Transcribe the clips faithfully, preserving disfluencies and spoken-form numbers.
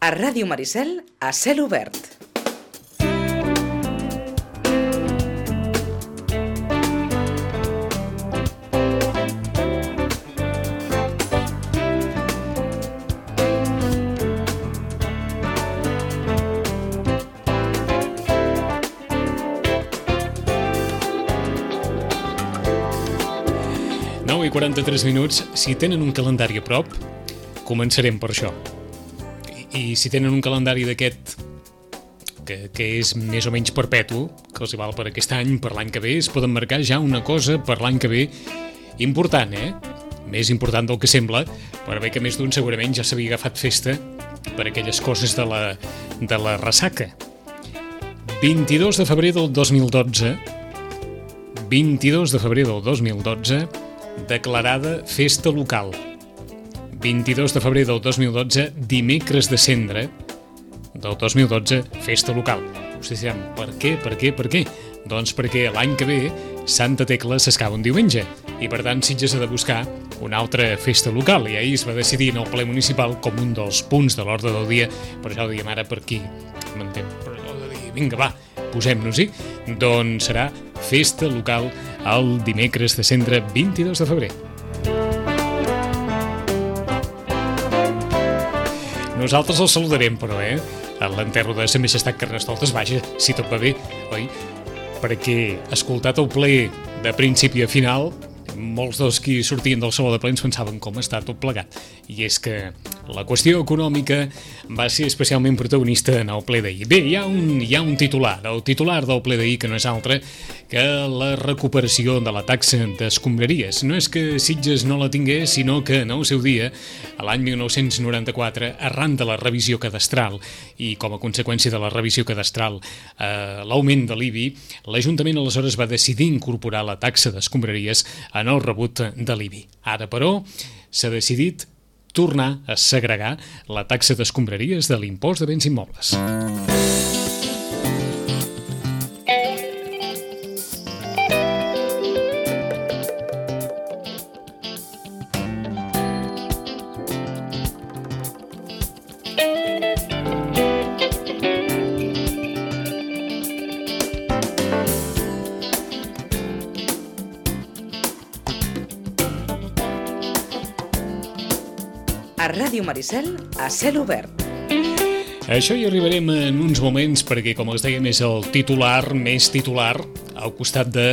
A Ràdio Maricel, a cel obert. nou i quaranta-tres minuts. Si tenen un calendari a prop, començarem per això. I, i si tenen un calendari d'aquest que, que és més o menys perpetu, que els hi val per aquest any, per l'any que ve, es poden marcar ja una cosa per l'any que ve important, eh? Més important del que sembla, per bé que més d'un segurament ja s'havia agafat festa per aquelles coses de la, de la ressaca. vint-i-dos de febrer del dos mil dotze, vint-i-dos de febrer del dos mil dotze, declarada festa local. vint-i-dos de febrer del dos mil dotze, dimecres de Cendra del dos mil dotze, festa local. Vostès diran, per què, per què, per què? Doncs perquè l'any que ve Santa Tecla s'escava un diumenge i per tant Sitges ha de buscar una altra festa local i ahir es va decidir en el ple municipal com un dels punts de l'ordre del dia, per això ho diem ara per aquí, m'entén? Per allò de dir, vinga va, posem-nos-hi, doncs serà festa local el dimecres de Cendra, vint-i-dos de febrer. Nosaltres els saludarem, però, eh? A l'enterro de Sa Majestat Carnestoltes, vaja, si tot va bé, oi? Perquè, escoltat el ple de principi a final, molts dels qui sortien del saló de plens pensaven com està tot plegat. I és que la qüestió econòmica va ser especialment protagonista en el ple d'ahir. Bé, hi ha un, hi ha un titular, el titular del ple d'ahir que no és altre que la recuperació de la taxa d'escombraries. No és que Sitges no la tingués, sinó que en el seu dia, a l'any mil nou-cents noranta-quatre, arran de la revisió cadastral i com a conseqüència de la revisió cadastral eh, l'augment de l'I B I, l'Ajuntament aleshores va decidir incorporar la taxa d'escombraries en el rebut de l'I B I. Ara, però, s'ha decidit tornar a segregar la taxa d'escombraries de l'impost de béns immobles. A Ràdio Maricel, a cel obert. Això hi arribarem en uns moments perquè, com els dèiem, és el titular més titular al costat de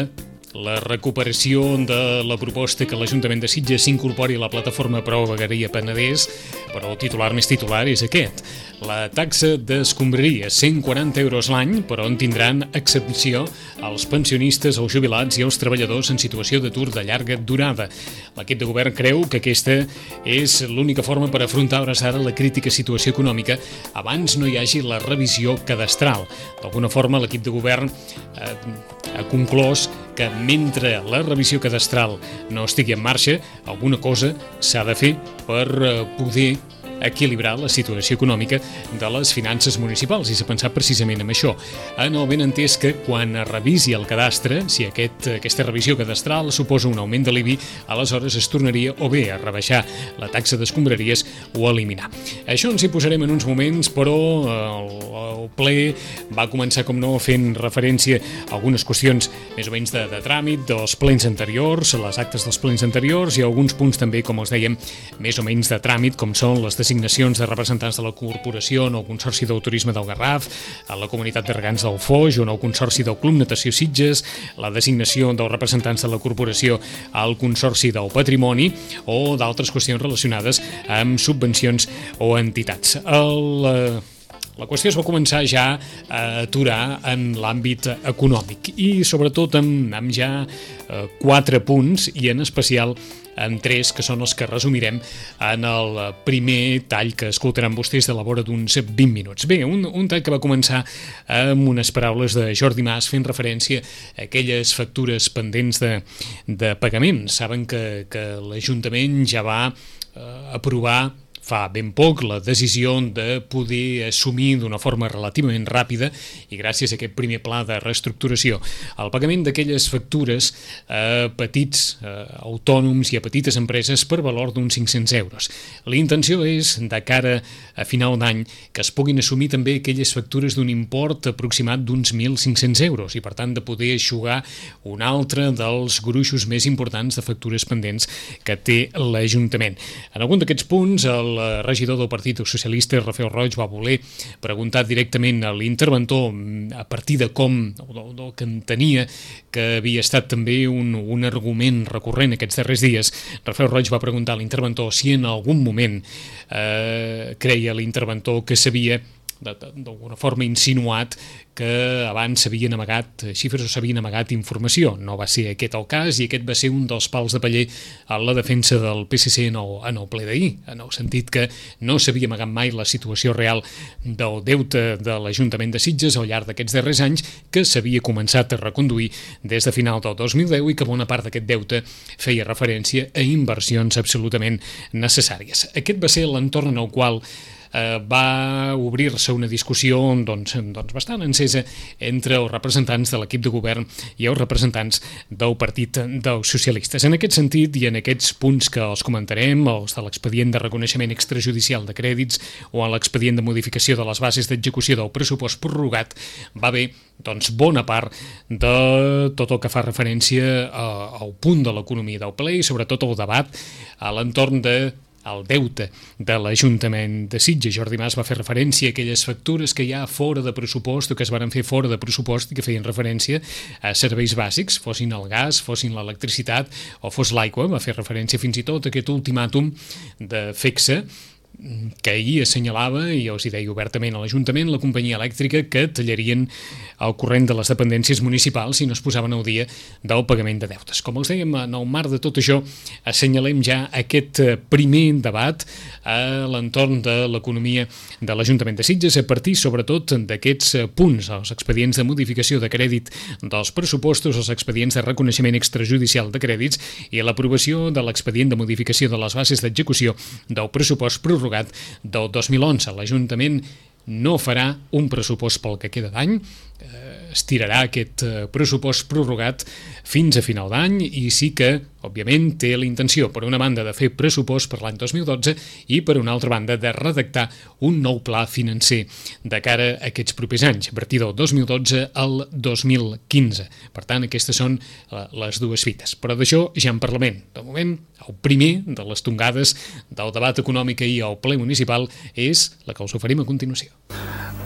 la recuperació de la proposta que l'Ajuntament de Sitges s'incorpori a la plataforma Prou Vegueria Penedès, però el titular més titular és aquest. La taxa d'escombraria, cent quaranta euros l'any, però en tindran excepció els pensionistes, els jubilats i els treballadors en situació d'atur de llarga durada. L'equip de govern creu que aquesta és l'única forma per afrontar hores ara la crítica situació econòmica abans no hi hagi la revisió cadastral. D'alguna forma, l'equip de govern eh, ha conclòs que mentre la revisió cadastral no estigui en marxa, alguna cosa s'ha de fer per eh, poder equilibrar la situació econòmica de les finances municipals i s'ha pensat precisament en això. En el benentès que quan es revisi el cadastre, si aquest, aquesta revisió cadastral suposa un augment de l'I B I, aleshores es tornaria o bé a rebaixar la taxa d'escombraries o a eliminar. Això ens hi posarem en uns moments, però el, el ple va començar, com no, fent referència a algunes qüestions més o menys de, de tràmit dels plens anteriors, les actes dels plens anteriors i alguns punts també, com els dèiem, més o menys de tràmit, com són les designacions de representants de la corporació en el Consorci del Turisme del Garraf, a la Comunitat de Regants del Foix o en el Consorci del Club Natació Sitges, la designació dels representants de la corporació al Consorci del Patrimoni o d'altres qüestions relacionades amb subvencions o entitats. El... La qüestió es va començar ja a aturar en l'àmbit econòmic i sobretot amb, amb ja eh, quatre punts i en especial en tres que són els que resumirem en el primer tall que escoltaran vostès de la vora d'uns vint minuts. Bé, un, un tall que va començar amb unes paraules de Jordi Mas fent referència a aquelles factures pendents de, de pagament. Saben que, que l'Ajuntament ja va eh, aprovar fa ben poc la decisió de poder assumir d'una forma relativament ràpida i gràcies a aquest primer pla de reestructuració el pagament d'aquelles factures a petits a autònoms i a petites empreses per valor d'uns cinc-cents euros. La intenció és, de cara a final d'any, que es puguin assumir també aquelles factures d'un import aproximat d'uns mil cinc-cents euros i, per tant, de poder eixugar un altre dels gruixos més importants de factures pendents que té l'Ajuntament. En algun d'aquests punts, el regidor del Partit Socialista, Rafael Roig, va voler preguntar directament a l'interventor a partir de com, del que entenia que havia estat també un, un argument recurrent aquests darrers dies. Rafael Roig va preguntar a l'interventor si en algun moment eh, creia l'interventor que s'havia d'alguna forma insinuat que abans s'havien amagat xifres o s'havien amagat informació. No va ser aquest el cas i aquest va ser un dels pals de paller a la defensa del P S C en el, en el ple d'ahir, en el sentit que no s'havia amagat mai la situació real del deute de l'Ajuntament de Sitges al llarg d'aquests darrers anys, que s'havia començat a reconduir des de final del dos mil deu i que bona part d'aquest deute feia referència a inversions absolutament necessàries. Aquest va ser l'entorn en el qual Eh, va obrir-se una discussió doncs, doncs bastant encesa entre els representants de l'equip de govern i els representants del Partit dels Socialistes. En aquest sentit i en aquests punts que els comentarem, els de l'expedient de reconeixement extrajudicial de crèdits o en l'expedient de modificació de les bases d'execució del pressupost prorrogat, va haver doncs, bona part de tot el que fa referència a, al punt de l'economia del ple i sobretot el debat a l'entorn de el deute de l'Ajuntament de Sitges. Jordi Mas va fer referència a aquelles factures que hi ha fora de pressupost o que es van fer fora de pressupost i que feien referència a serveis bàsics, fossin el gas, fossin l'electricitat o fos l'aigua. Va fer referència fins i tot a aquest ultimàtum de FECSA que ahir assenyalava, i els hi deia obertament a l'Ajuntament, la companyia elèctrica, que tallarien el corrent de les dependències municipals si no es posaven al dia del pagament de deutes. Com els dèiem, en el marc de tot això, assenyalem ja aquest primer debat a l'entorn de l'economia de l'Ajuntament de Sitges, a partir sobretot d'aquests punts, els expedients de modificació de crèdit dels pressupostos, els expedients de reconeixement extrajudicial de crèdits i l'aprovació de l'expedient de modificació de les bases d'execució del pressupost prorrogat del dos mil onze. L'Ajuntament no farà un pressupost pel que queda d'any, estirarà aquest pressupost prorrogat fins a final d'any i sí que, òbviament, té la intenció, per una banda, de fer pressupost per l'any dos mil dotze i, per una altra banda, de redactar un nou pla financer de cara a aquests propers anys, a partir del dos mil dotze al dos mil quinze. Per tant, aquestes són les dues fites. Però d'això ja en parlarem. De moment, el primer de les tongades del debat econòmic i al ple municipal és la que us oferim a continuació.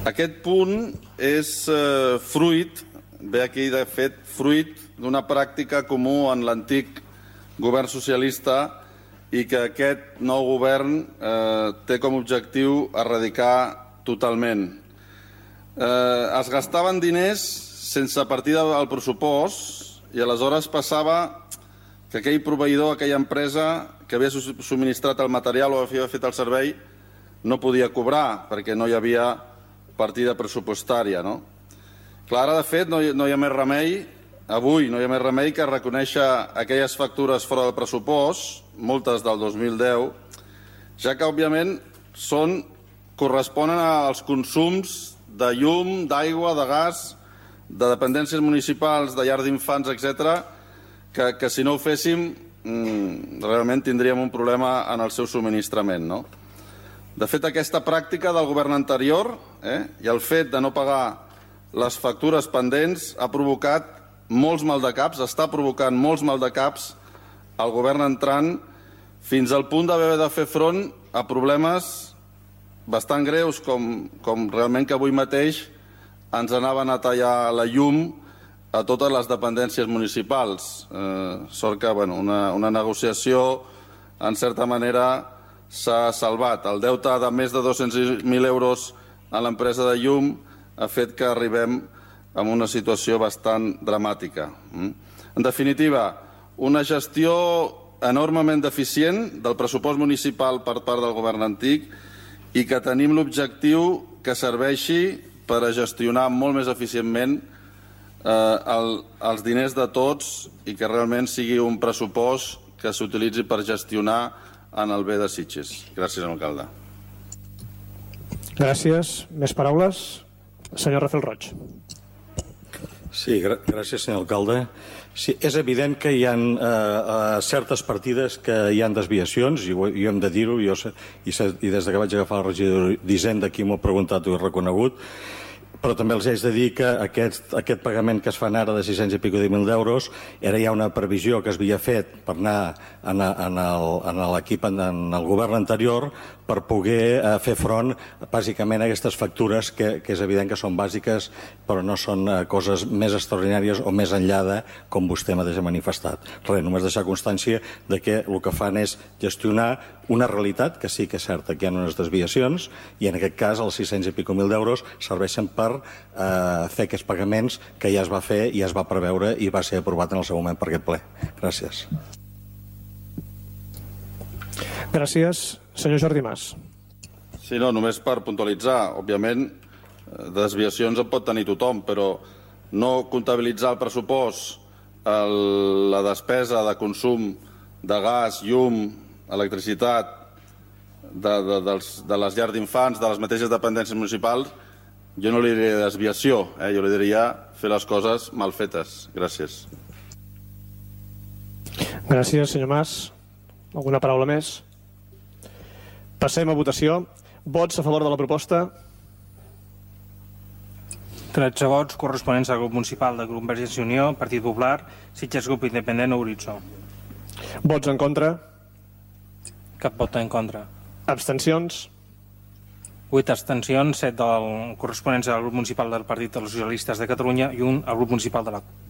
Aquest punt és eh, fruit, ve aquí de fet, fruit d'una pràctica comú en l'antic govern socialista i que aquest nou govern eh, té com a objectiu erradicar totalment. Eh, es gastaven diners sense partida al pressupost i aleshores passava que aquell proveïdor, aquella empresa que havia subministrat el material o havia fet el servei no podia cobrar perquè no hi havia partida pressupostària, no? Clar, ara, de fet, no hi, no hi ha més remei, avui no hi ha més remei que reconèixer aquelles factures fora del pressupost, moltes del dos mil deu, ja que, òbviament, són, corresponen als consums de llum, d'aigua, de gas, de dependències municipals, de llars d'infants, etcètera, que, que si no ho féssim, mmm, realment tindríem un problema en el seu subministrament, no? De fet, aquesta pràctica del govern anterior eh, i el fet de no pagar les factures pendents ha provocat molts maldecaps, està provocant molts maldecaps al govern entrant fins al punt d'haver de fer front a problemes bastant greus com, com realment que avui mateix ens anaven a tallar la llum a totes les dependències municipals. Eh, sort que bueno, una, una negociació, en certa manera, s'ha salvat. El deute de més de dos-cents mil euros a l'empresa de llum ha fet que arribem a una situació bastant dramàtica. En definitiva, una gestió enormement deficient del pressupost municipal per part del govern antic i que tenim l'objectiu que serveixi per a gestionar molt més eficientment eh, el, els diners de tots i que realment sigui un pressupost que s'utilitzi per gestionar en el bé de Sitges. Gràcies, alcalde. Gràcies. Més paraules? Senyor Rafael Roig. Sí, gràcies, senyor alcalde. Sí, és evident que hi ha eh, certes partides que hi ha desviacions, i ho, i hem de dir-ho, i, i, i des que vaig agafar la regidor d'Hisenda, aquí m'ho he preguntat i ho he reconegut, però també els haig de dir que aquest, aquest pagament que es fan ara de sis-cents i pico de mil d'euros era ja una previsió que es havia fet per anar en, en, el, en l'equip, en el govern anterior, per poder eh, fer front bàsicament a aquestes factures que, que és evident que són bàsiques però no són eh, coses més extraordinàries o més enllà de com vostè mateix ha manifestat. Res, només deixar constància de que el que fan és gestionar una realitat que sí que és certa que hi ha unes desviacions i en aquest cas els sis-cents i pico mil d'euros serveixen per eh, fer aquests pagaments que ja es va fer i es va preveure i va ser aprovat en el seu moment per aquest ple. Gràcies. Gràcies. Senyor Jordi Mas. Sí, no, només per puntualitzar. Òbviament, desviacions en pot tenir tothom, però no comptabilitzar el pressupost, el, la despesa de consum de gas, llum, electricitat, de, de, dels, de les llars d'infants, de les mateixes dependències municipals, jo no li diria desviació, eh? Jo li diria fer les coses mal fetes. Gràcies. Gràcies, senyor Mas. Alguna paraula més? Passem a votació. Vots a favor de la proposta? tretze vots corresponents al grup municipal de Convergència i Unió, Partit Popular, Sitges Grup Independent o Horitzó. Vots en contra? Cap vot en contra. Abstencions? vuit abstencions, set del corresponents al grup municipal del Partit dels Socialistes de Catalunya i un al grup municipal de la C U P.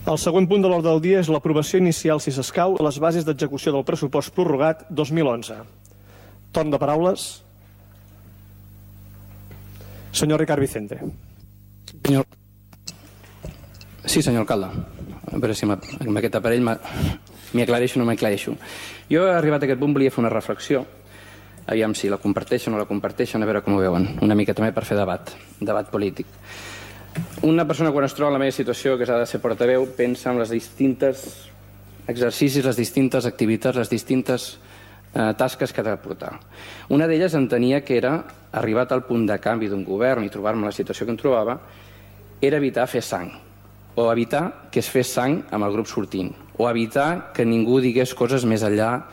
El següent punt de l'ordre del dia és l'aprovació inicial, si s'escau, a les bases d'execució del pressupost prorrogat dos mil onze. Torn de paraules. Senyor Ricard Vicente. Senyor... Sí, senyor alcalde. A veure si amb aquest aparell m'hi aclareixo o no m'aclareixo. Jo he arribat a aquest punt, volia fer una reflexió. Aviam si la comparteixen o no la comparteixen, a veure com ho veuen. Una mica també per fer debat, debat polític. Una persona quan es troba en la meva situació, que s'ha de ser portaveu, pensa en les distintes exercicis, les distintes activitats, les distintes eh, tasques que ha de portar. Una d'elles entenia que era, arribat al punt de canvi d'un govern i trobar-me en la situació que em trobava, era evitar fer sang, o evitar que es fes sang amb el grup sortint, o evitar que ningú digués coses més enllà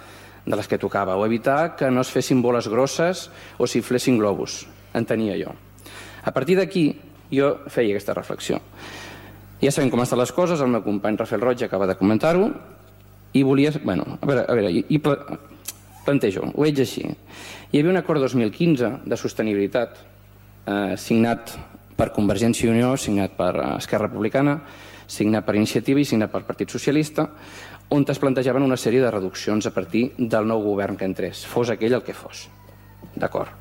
de les que tocava, o evitar que no es fessin boles grosses o s'inflessin globus. Entenia jo. A partir d'aquí, jo feia aquesta reflexió. Ja sabem com estan les coses, el meu company Rafael Roig acaba de comentar-ho, i volia... Bueno, a veure, a veure i, i plantejo, ho veig així. Hi havia un acord dos mil quinze de sostenibilitat eh, signat per Convergència i Unió, signat per Esquerra Republicana, signat per Iniciativa i signat per Partit Socialista, on es plantejaven una sèrie de reduccions a partir del nou govern que entrés, fos aquell el que fos. D'acord.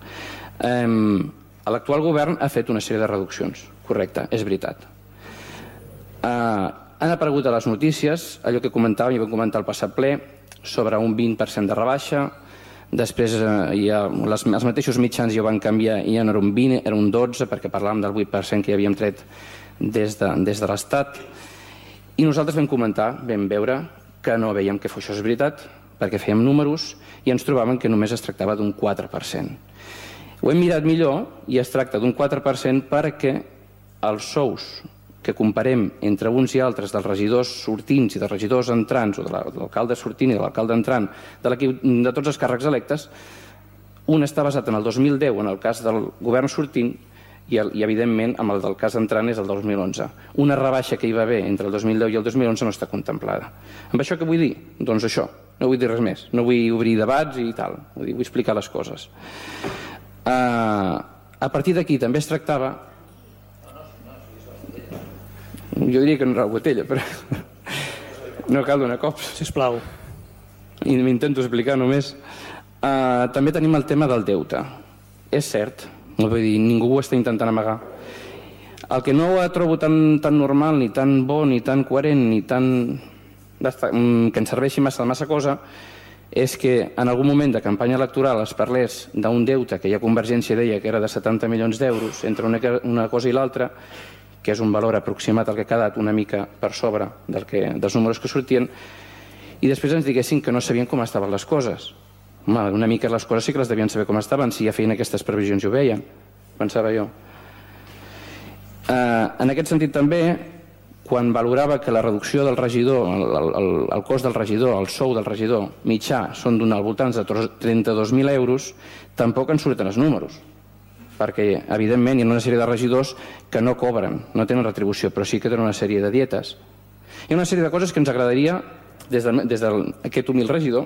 Eh, L'actual govern ha fet una sèrie de reduccions, correcte, és veritat. Uh, han aparegut a les notícies allò que comentàvem, i vam comentar al passat ple, sobre un vint per cent de rebaixa, després uh, ja, les, els mateixos mitjans ja ho van canviar i ja no era un vint, era un dotze, perquè parlàvem del vuit per cent que ja havíem tret des de, des de l'Estat. I nosaltres vam comentar, vam veure que no veiem que això és veritat, perquè fèiem números i ens trobàvem que només es tractava d'un quatre per cent. Ho hem mirat millor i es tracta d'un quatre per cent perquè els sous que comparem entre uns i altres dels regidors sortints i dels regidors entrants, o de l'alcalde sortint i de l'alcalde entrant, de l'equip de tots els càrrecs electes, un està basat en el dos mil deu en el cas del govern sortint i, i evidentment, amb el del cas entrant és el dos mil onze. Una rebaixa que hi va haver entre el dos mil deu i el dos mil onze no està contemplada. Amb això què vull dir? Doncs això, no vull dir res més. No vull obrir debats i tal, vull, dir, vull explicar les coses. Uh, a partir d'aquí també es tractava, jo diria que no era la botella, però no cal donar cops, sisplau, i m'intento explicar només. Uh, també tenim el tema del deute. És cert, vull dir, ningú ho està intentant amagar. El que no ho trobo tan, tan normal, ni tan bo, ni tan coherent, ni tan que ens serveixi massa, massa cosa, és que en algun moment de campanya electoral es parlés d'un deute que ja Convergència deia que era de setanta milions d'euros entre una, una cosa i l'altra, que és un valor aproximat al que ha quedat una mica per sobre del que, dels números que sortien, i després ens diguessin que no sabien com estaven les coses. Home, una mica les coses sí que les devien saber com estaven, si ja feien aquestes previsions i ho veien, pensava jo. Eh, en aquest sentit també, quan valorava que la reducció del regidor, el, el, el cost del regidor, el sou del regidor mitjà són d'un al voltant de trenta-dos mil euros, tampoc en surten els números, perquè evidentment hi ha una sèrie de regidors que no cobren, no tenen retribució, però sí que tenen una sèrie de dietes. Hi ha una sèrie de coses que ens agradaria, des d'aquest de, des de humil regidor,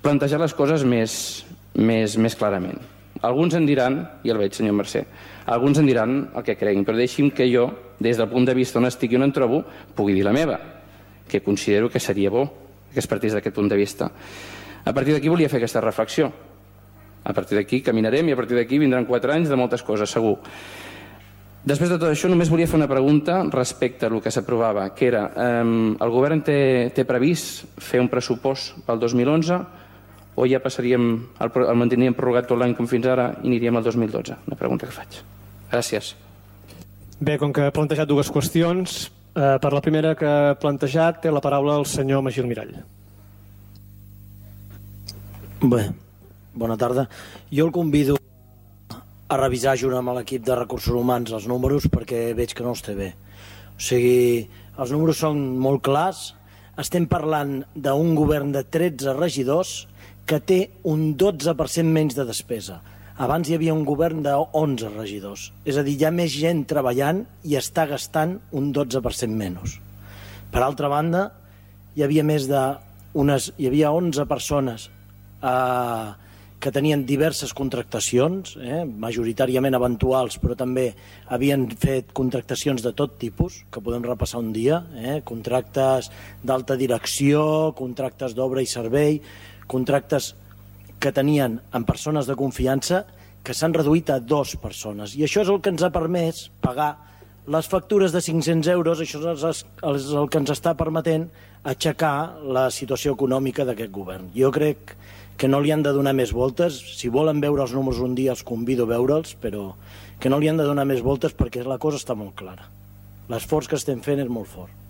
plantejar les coses més, més, més clarament. Alguns en diran, i el veig, senyor Mercè, alguns en diran el que creguin, però deixi'm que jo, des del punt de vista on estic i on em trobo, pugui dir la meva, que considero que seria bo que es partís d'aquest punt de vista. A partir d'aquí volia fer aquesta reflexió. A partir d'aquí caminarem i a partir d'aquí vindran quatre anys de moltes coses, segur. Després de tot això, només volia fer una pregunta respecte al que s'aprovava, que era, eh, el govern té, té previst fer un pressupost pel dos mil onze o ja passaríem, el, el mantindríem prorrogat tot l'any com fins ara i aniríem al dos mil dotze? Una pregunta que faig. Gràcies. Bé, com que he plantejat dues qüestions, eh, per la primera que he plantejat té la paraula el senyor Magí Almirall. Bé, bona tarda. Jo el convido a revisar junt amb l'equip de recursos humans els números perquè veig que no els té bé. O sigui, els números són molt clars. Estem parlant d'un govern de tretze regidors que té un dotze per cent menys de despesa. Abans hi havia un govern d'onze regidors. És a dir, hi ha més gent treballant i està gastant un dotze per cent menys. Per altra banda, hi havia més de unes, hi havia onze persones eh, que tenien diverses contractacions, eh, majoritàriament eventuals, però també havien fet contractacions de tot tipus, que podem repassar un dia, eh, contractes d'alta direcció, contractes d'obra i servei, contractes que tenien amb persones de confiança que s'han reduït a dues persones. I això és el que ens ha permès pagar les factures de cinc-cents euros, això és el que ens està permetent aixecar la situació econòmica d'aquest govern. Jo crec que no li han de donar més voltes. Si volen veure els números un dia els convido a veure'ls, però que no li han de donar més voltes perquè la cosa està molt clara. L'esforç que estem fent és molt fort.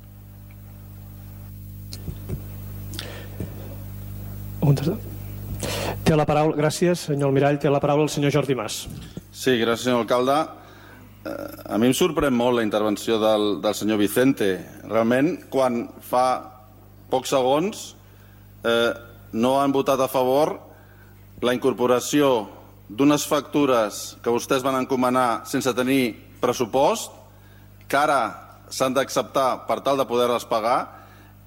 Té la paraula, gràcies, senyor Almirall, té la paraula el senyor Jordi Mas. Sí, gràcies, senyor alcalde. A mi em sorprèn molt la intervenció del, del senyor Vicente. Realment, quan fa pocs segons eh, no han votat a favor la incorporació d'unes factures que vostès van encomanar sense tenir pressupost, que ara s'han d'acceptar per tal de poder-les pagar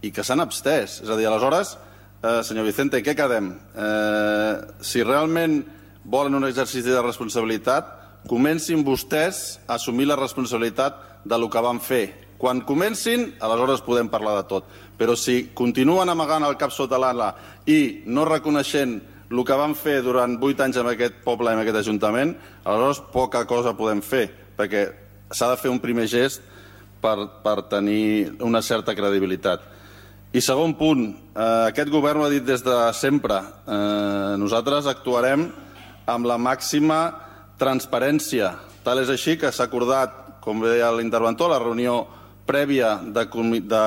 i que s'han abstès. És a dir, aleshores, eh, senyor Vicente, què quedem? Eh, si realment volen un exercici de responsabilitat, comencin vostès a assumir la responsabilitat de lo que van fer. Quan comencin, aleshores podem parlar de tot. Però si continuen amagant el cap sota l'ala i no reconeixent el que van fer durant vuit anys en aquest poble i en aquest ajuntament, aleshores poca cosa podem fer, perquè s'ha de fer un primer gest per, per tenir una certa credibilitat. I segon punt, eh, aquest govern ho ha dit des de sempre. Eh, nosaltres actuarem amb la màxima transparència. Tal és així que s'ha acordat, com deia l'interventor, la reunió prèvia de, de,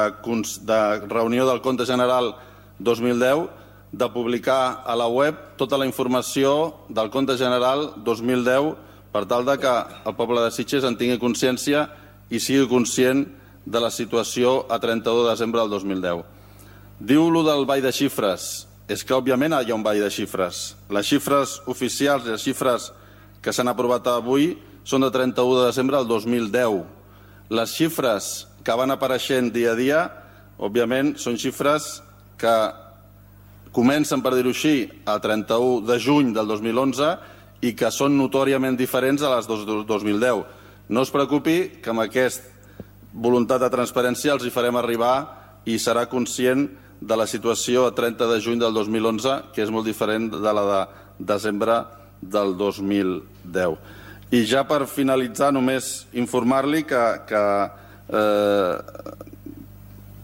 de reunió del Compte General dos mil deu, de publicar a la web tota la informació del Compte General dos mil deu per tal de que el poble de Sitges en tingui consciència i sigui conscient de la situació a trenta-u de desembre del dos mil deu. Diu-lo del ball de xifres. És que, òbviament, hi ha un ball de xifres. Les xifres oficials i les xifres que s'han aprovat avui són de trenta-u de desembre del dos mil deu. Les xifres que van apareixent dia a dia, òbviament, són xifres que comencen, per dir-ho així, a trenta-u de juny del dos mil onze i que són notòriament diferents a les del dos mil deu. No es preocupi que amb aquesta voluntat de transparència els hi farem arribar i serà conscient de la situació a trenta de juny del dos mil onze, que és molt diferent de la de desembre del dos mil deu. I ja per finalitzar, només informar-li que, que eh,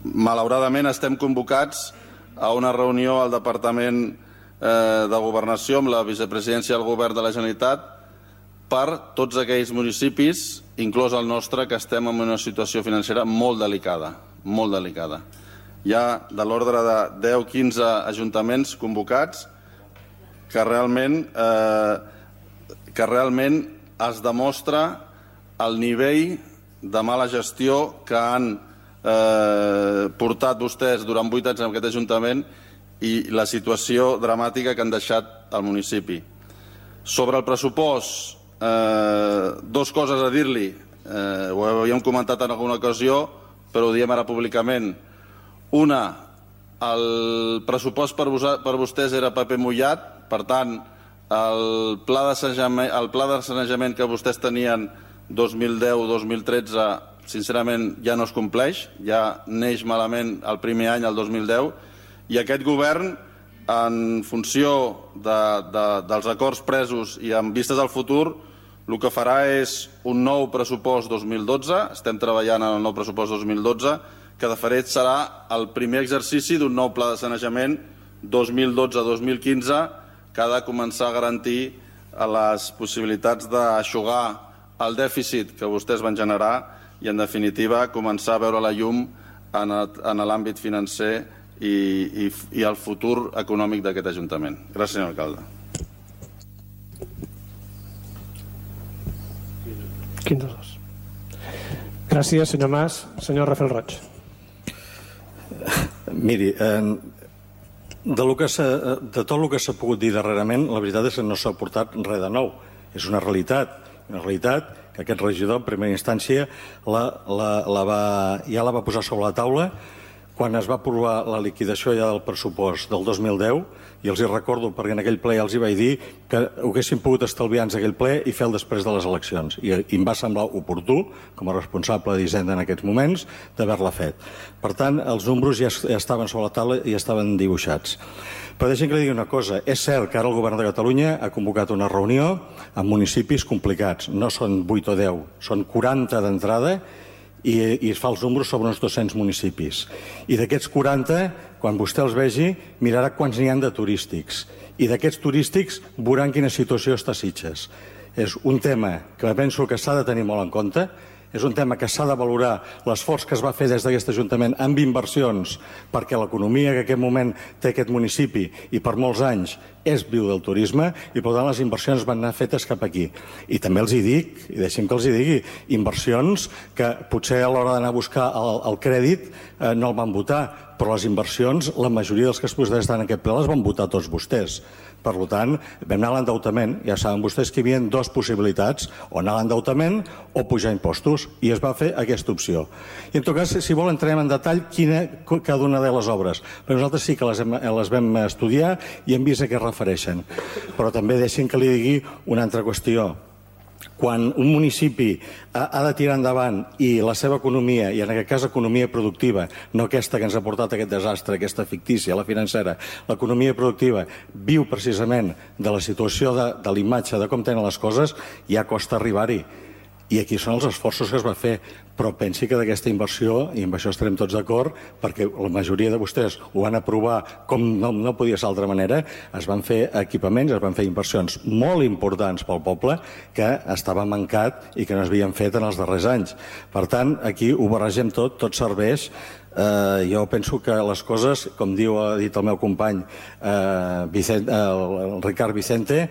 malauradament estem convocats a una reunió al Departament eh, de Governació amb la vicepresidència del Govern de la Generalitat per tots aquells municipis, inclòs el nostre, que estem en una situació financera molt delicada, molt delicada. hi ha de l'ordre de deu a quinze ajuntaments convocats que realment, eh, que realment es demostra el nivell de mala gestió que han eh, portat vostès durant vuit anys en aquest Ajuntament i la situació dramàtica que han deixat al municipi. Sobre el pressupost, eh, dos coses a dir-li. Eh, ho havíem comentat en alguna ocasió, però ho diem ara públicament. Una, el pressupost per, vos, per vostès era paper mullat, per tant, el pla de sanejament, el pla de sanejament que vostès tenien dos mil deu dos mil tretze, sincerament, ja no es compleix, ja neix malament el primer any, el dos mil deu, i aquest govern, en funció de, de, dels acords presos i amb vistes al futur, el que farà és un nou pressupost dos mil dotze, estem treballant en el nou pressupost dos mil dotze, que de fet serà el primer exercici d'un nou pla de sanejament dos mil dotze dos mil quinze, que ha de començar a garantir les possibilitats d'aixugar el dèficit que vostès van generar i, en definitiva, començar a veure la llum en l'àmbit financer i, i, i el futur econòmic d'aquest Ajuntament. Gràcies, senyor alcalde. quinze dos. Gràcies, senyor Mas. Senyor Rafael Roig. Miri, eh, de, lo que de tot el que s'ha pogut dir darrerament, la veritat és que no s'ha aportat res de nou. És una realitat, una realitat que aquest regidor, en primera instància, la, la, la va, ja la va posar sobre la taula quan es va aprovar la liquidació ja del pressupost del dos mil deu, i els hi recordo, perquè en aquell ple ja els hi vaig dir que ho haguessin pogut estalviar-nos aquell ple i fer-lo després de les eleccions. I, i em va semblar oportú, com a responsable d'Hisenda en aquests moments, d'haver-la fet. Per tant, els números ja, ja estaven sobre la taula i ja estaven dibuixats. Però deixem que li digui una cosa. És cert que ara el govern de Catalunya ha convocat una reunió amb municipis complicats. No són vuit o deu, són quaranta d'entrada, i, i es fa els números sobre uns dos-cents municipis. I d'aquests quaranta, quan vostè els vegi, mirarà quants n'hi ha de turístics. I d'aquests turístics veuran quina situació està a Sitges. És un tema que penso que s'ha de tenir molt en compte, és un tema que s'ha de valorar l'esforç que es va fer des d'aquest Ajuntament amb inversions, perquè l'economia que en aquest moment té aquest municipi i per molts anys és viu del turisme, i per tant les inversions van anar fetes cap aquí. I també els hi dic, i deixem que els hi digui, inversions que potser a l'hora d'anar a buscar el, el crèdit eh, no el van votar, però les inversions, la majoria dels que es vostès estan en aquest ple les van votar tots vostès. Per tant, vam anar a l'endeutament. Ja saben vostès que hi havia dues possibilitats, o anar a l'endeutament o pujar impostos, i es va fer aquesta opció. I en tot cas, si vol, entrem en detall quina, cada una de les obres. Però nosaltres sí que les, hem, les vam estudiar i hem vist a què refereixen. Però també deixin que li digui una altra qüestió. Quan un municipi ha de tirar endavant i la seva economia, i en aquest cas economia productiva, no aquesta que ens ha portat aquest desastre, aquesta fictícia, la financera, l'economia productiva viu precisament de la situació de, de l'imatge, de com tenen les coses, ja costa arribar-hi. I aquí són els esforços que es va fer, però pensi que d'aquesta inversió, i amb això estarem tots d'acord, perquè la majoria de vostès ho van aprovar com no, no podia ser d'altra manera, es van fer equipaments, es van fer inversions molt importants pel poble que estava mancat i que no es havien fet en els darrers anys. Per tant, aquí ho barregem tot, tot serveix. Uh, jo penso que les coses, com diu, ha dit el meu company uh, Vicente, uh, el Ricard Vicente,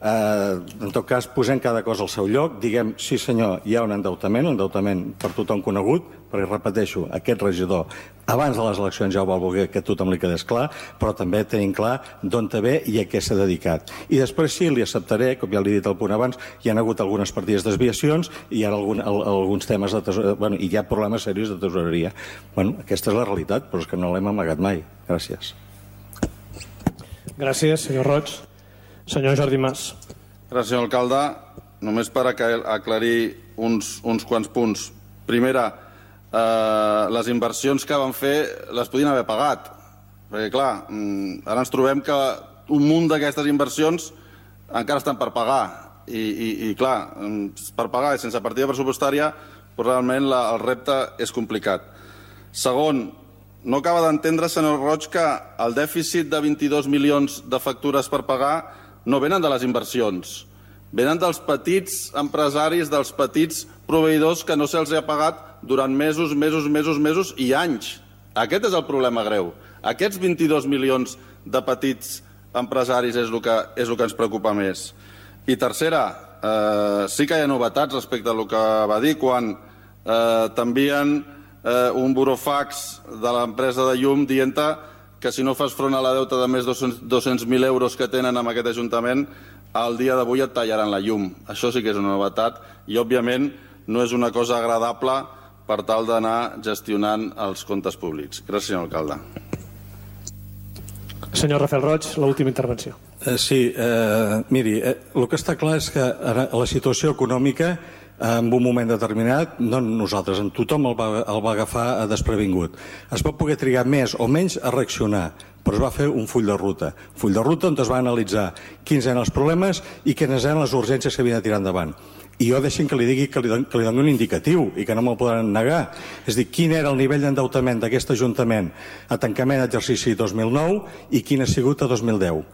Uh, en tot cas, posem cada cosa al seu lloc, diguem, sí senyor, hi ha un endeutament, un endeutament per tothom conegut, perquè repeteixo, aquest regidor abans de les eleccions ja ho va voler que tothom li quedés clar, però també tenim clar d'on te ve i a què s'ha dedicat. I després sí, li acceptaré, com ja li he dit al punt abans, hi ha hagut algunes partides desviacions i hi ha algun, al, alguns temes de tesoreria, bueno, i hi ha problemes seriosos de tesoreria. Bueno, aquesta és la realitat, però és que no l'hem amagat mai. Gràcies. Gràcies, senyor Roig. Senyor Jordi Mas. Gràcies, senyor alcalde. Només per aclarir uns, uns quants punts. Primera, eh, les inversions que van fer les podien haver pagat. Perquè, clar, ara ens trobem que un munt d'aquestes inversions encara estan per pagar. I, i, i clar, per pagar i sense partida pressupostària, però realment la, el repte és complicat. Segon, no acaba d'entendre, senyor Roig, que el dèficit de vint-i-dos milions de factures per pagar no venen de les inversions, venen dels petits empresaris, dels petits proveïdors que no se'ls ha pagat durant mesos, mesos, mesos, mesos i anys. Aquest és el problema greu. Aquests vint-i-dos milions de petits empresaris és el que, és el que ens preocupa més. I tercera, eh, sí que hi ha novetats respecte a el que va dir quan eh, t'envien eh, un burofax de l'empresa de llum dient que si no fas front a la deuta de més de dos-cents mil euros que tenen amb aquest Ajuntament, al dia d'avui et tallaran la llum. Això sí que és una novetat i, òbviament, no és una cosa agradable per tal d'anar gestionant els comptes públics. Gràcies, senyor alcalde. Senyor Rafael Roig, l'última intervenció. Eh, sí, eh, miri, eh, el que està clar és que la situació econòmica en un moment determinat, no nosaltres, en tothom el va, el va agafar desprevingut. Es va poder trigar més o menys a reaccionar, però es va fer un full de ruta. Un full de ruta on es va analitzar quins eren els problemes i quines eren les urgències que havien de tirar endavant. I jo deixin que li digui que li, don, que li doni un indicatiu i que no me'l podran negar. És a dir, quin era el nivell d'endeutament d'aquest Ajuntament a tancament d'exercici dos mil nou i quin ha sigut a dos mil deu.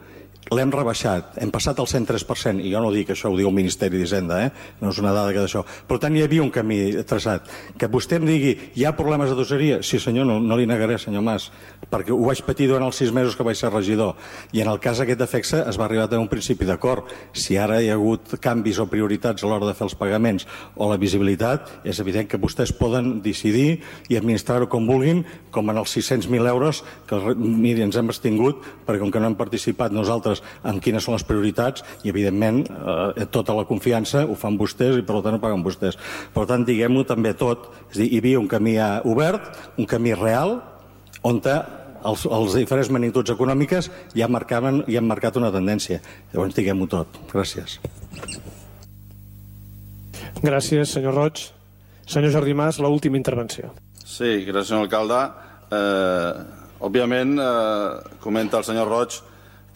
L'hem rebaixat, hem passat al cent tres per cent, i jo no dic això, ho diu el Ministeri d'Hisenda, eh? No és una dada que d'això. Per tant, hi havia un camí traçat. Que vostè em digui, hi ha problemes de doseria? Sí, senyor, no, no li negaré, senyor Mas, perquè ho vaig patir durant els sis mesos que vaig ser regidor. I en el cas aquest d'Afexa es va arribar a tenir un principi d'acord. Si ara hi ha hagut canvis o prioritats a l'hora de fer els pagaments o la visibilitat, és evident que vostès poden decidir i administrar-ho com vulguin, com en els sis-cents mil euros que, miri, ens hem extingut, perquè com que no hem participat nosaltres en quines són les prioritats i, evidentment, eh, tota la confiança ho fan vostès i, per tant, ho paguen vostès. Per tant, diguem-ho també tot. És a dir, hi havia un camí obert, un camí real, on els, els diferents magnituds econòmiques ja, marcaven, ja han marcat una tendència. Llavors, diguem-ho tot. Gràcies. Gràcies, senyor Roig. Senyor Jordi Mas, l'última intervenció. Sí, gràcies, senyor alcalde. Eh, òbviament, eh, comenta el senyor Roig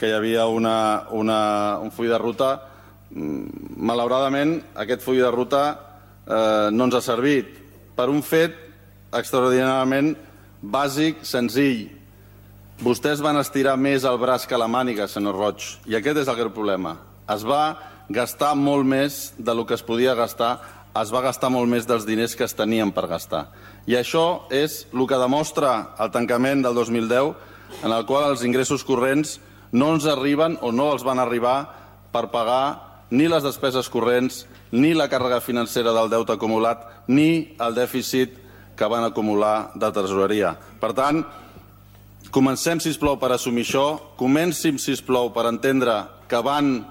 que hi havia una, una, un full de ruta. Malauradament, aquest full de ruta eh, no ens ha servit per un fet extraordinàriament bàsic, senzill. Vostès van estirar més el braç que la màniga, senyor Roig, i aquest és el greu problema. Es va gastar molt més del que es podia gastar, es va gastar molt més dels diners que es tenien per gastar. I això és el que demostra el tancament del dos mil deu, en el qual els ingressos corrents no ens arriben o no els van arribar per pagar ni les despeses corrents, ni la càrrega financera del deute acumulat, ni el dèficit que van acumular de tresoreria. Per tant, comencem, sisplau, per assumir això, comencem, sisplau, per entendre que van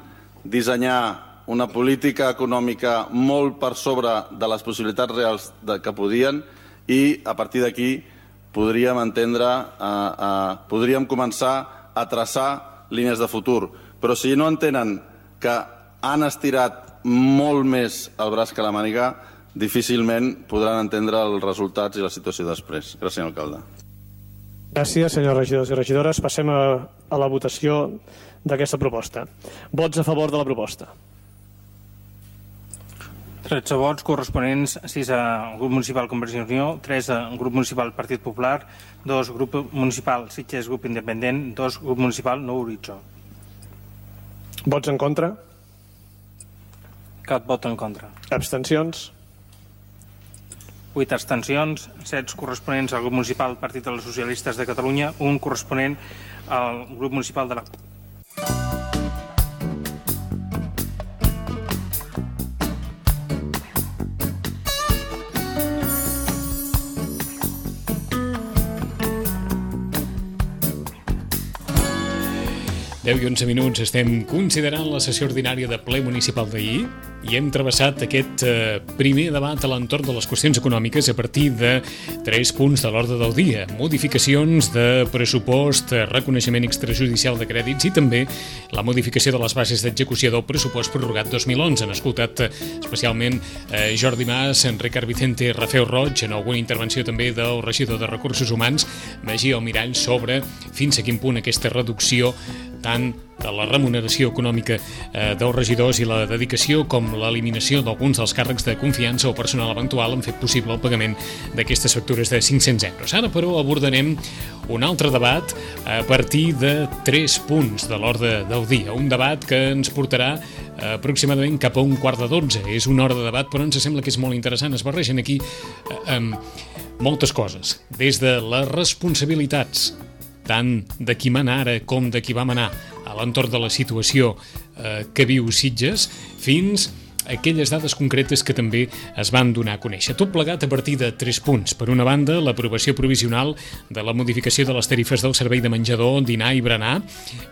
dissenyar una política econòmica molt per sobre de les possibilitats reals que podien i, a partir d'aquí, podríem entendre, eh, eh, podríem començar a traçar línies de futur. Però si no entenen que han estirat molt més el braç que la màniga, difícilment podran entendre els resultats i la situació després. Gràcies, senyor alcalde. Gràcies, senyors regidors i regidores. Passem a, a la votació d'aquesta proposta. Vots a favor de la proposta. tretze vots corresponents, sis al grup municipal Convergència i Unió, tres al grup municipal Partit Popular, dos grup municipal Sitges Grup Independent, dos grup municipal Nou Horitzó. Vots en contra? Cap vot en contra. Abstencions? vuit abstencions, set corresponents al grup municipal Partit dels Socialistes de Catalunya, un corresponent al grup municipal de la C U P. deu i onze minuts estem considerant la sessió ordinària de ple municipal d'ahir i hem travessat aquest eh, primer debat a l'entorn de les qüestions econòmiques a partir de tres punts de l'ordre del dia. Modificacions de pressupost, reconeixement extrajudicial de crèdits i també la modificació de les bases d'execució del pressupost prorrogat dos mil onze. Han escoltat eh, especialment eh, Jordi Mas, Ricard Vicente, Rafael Roig, en alguna intervenció també del regidor de Recursos Humans, Magí Almirall, sobre fins a quin punt aquesta reducció tant de la remuneració econòmica eh, dels regidors i la dedicació com l'eliminació d'alguns dels càrrecs de confiança o personal eventual han fet possible el pagament d'aquestes factures de cinc-cents euros. Ara, però, abordarem un altre debat a partir de tres punts de l'ordre del dia. Un debat que ens portarà eh, aproximadament cap a un quart de dotze. És una hora de debat, però ens sembla que és molt interessant. Es barregen aquí eh, eh, moltes coses, des de les responsabilitats, tant de qui mana ara com de qui va manar a l'entorn de la situació eh, que viu Sitges, fins aquelles dades concretes que també es van donar a conèixer. Tot plegat a partir de tres punts. Per una banda, l'aprovació provisional de la modificació de les tarifes del servei de menjador, dinar i berenar.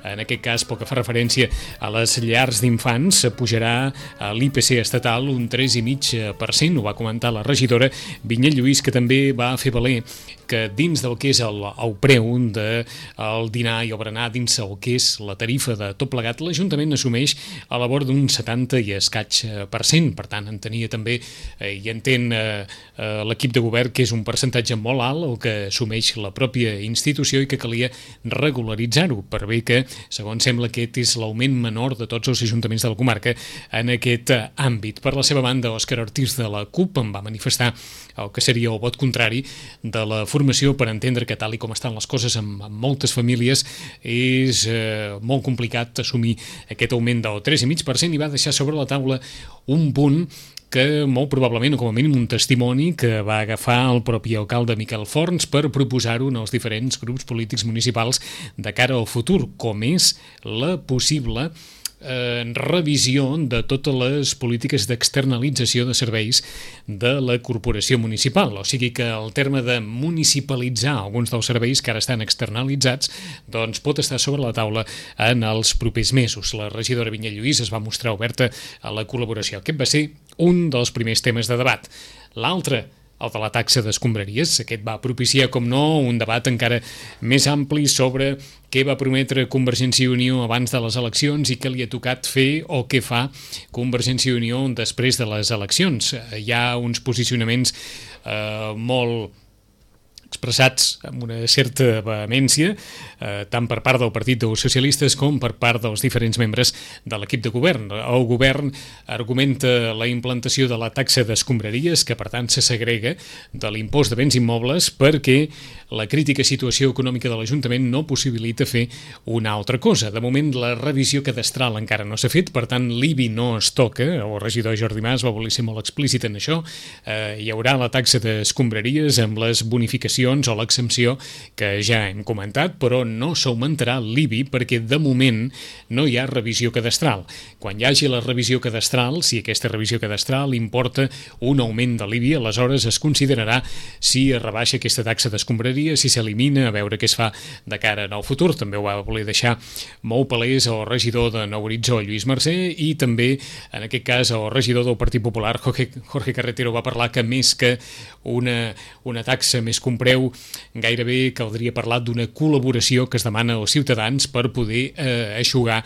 En aquest cas, pel que fa referència a les llars d'infants, pujarà a l'I P C estatal un tres coma cinc per cent, ho va comentar la regidora Vinyet Lluís, que també va fer valer que dins del que és el, el preu del dinar i el berenar, dins el que és la tarifa de tot plegat, l'Ajuntament assumeix a la vora d'un setanta i escaig per cent. Per tant, entenia també eh, i entén eh, eh, l'equip de govern que és un percentatge molt alt el que assumeix la pròpia institució i que calia regularitzar-ho, per bé que, segons sembla, aquest és l'augment menor de tots els ajuntaments de la comarca en aquest eh, àmbit. Per la seva banda, Òscar Ortiz de la CUP en va manifestar el que seria el vot contrari de la formació, per entendre que tal i com estan les coses amb, amb moltes famílies és eh, molt complicat assumir aquest augment del tres coma cinc per cent, i va deixar sobre la taula un punt que molt probablement, o com a mínim un testimoni que va agafar el propi alcalde Miquel Forns per proposar-ho en els diferents grups polítics municipals de cara al futur, com és la possible Eh, revisió de totes les polítiques d'externalització de serveis de la corporació municipal. O sigui que el terme de municipalitzar alguns dels serveis que ara estan externalitzats doncs pot estar sobre la taula en els propers mesos. La regidora Vinyet Lluís es va mostrar oberta a la col·laboració. Aquest va ser un dels primers temes de debat. L'altre, el de la taxa d'escombraries. Aquest va propiciar, com no, un debat encara més ampli sobre què va prometre Convergència i Unió abans de les eleccions i què li ha tocat fer o què fa Convergència i Unió després de les eleccions. Hi ha uns posicionaments eh, molt expressats amb una certa vehemència, eh, tant per part del Partit dels Socialistes com per part dels diferents membres de l'equip de govern. El govern argumenta la implantació de la taxa d'escombraries, que per tant se segrega de l'impost de béns immobles, perquè la crítica situació econòmica de l'Ajuntament no possibilita fer una altra cosa. De moment, la revisió cadastral encara no s'ha fet, per tant, l'I B I no es toca. El regidor Jordi Mas va voler ser molt explícit en això. Eh, hi haurà la taxa d'escombraries amb les bonificacions o l'exempció que ja hem comentat, però no s'augmentarà l'I B I perquè de moment no hi ha revisió cadastral. Quan hi hagi la revisió cadastral, si aquesta revisió cadastral importa un augment de l'I B I, aleshores es considerarà si es rebaixa aquesta taxa d'escombraria, si s'elimina, a veure què es fa de cara al futur. També ho va voler deixar molt palès el regidor de Nou Horitzó, Lluís Mercè, i també, en aquest cas, el regidor del Partit Popular, Jorge, Jorge Carretero, va parlar que més que una, una taxa més compresa, gairebé caldria parlar d'una col·laboració que es demana als ciutadans per poder eh, eixugar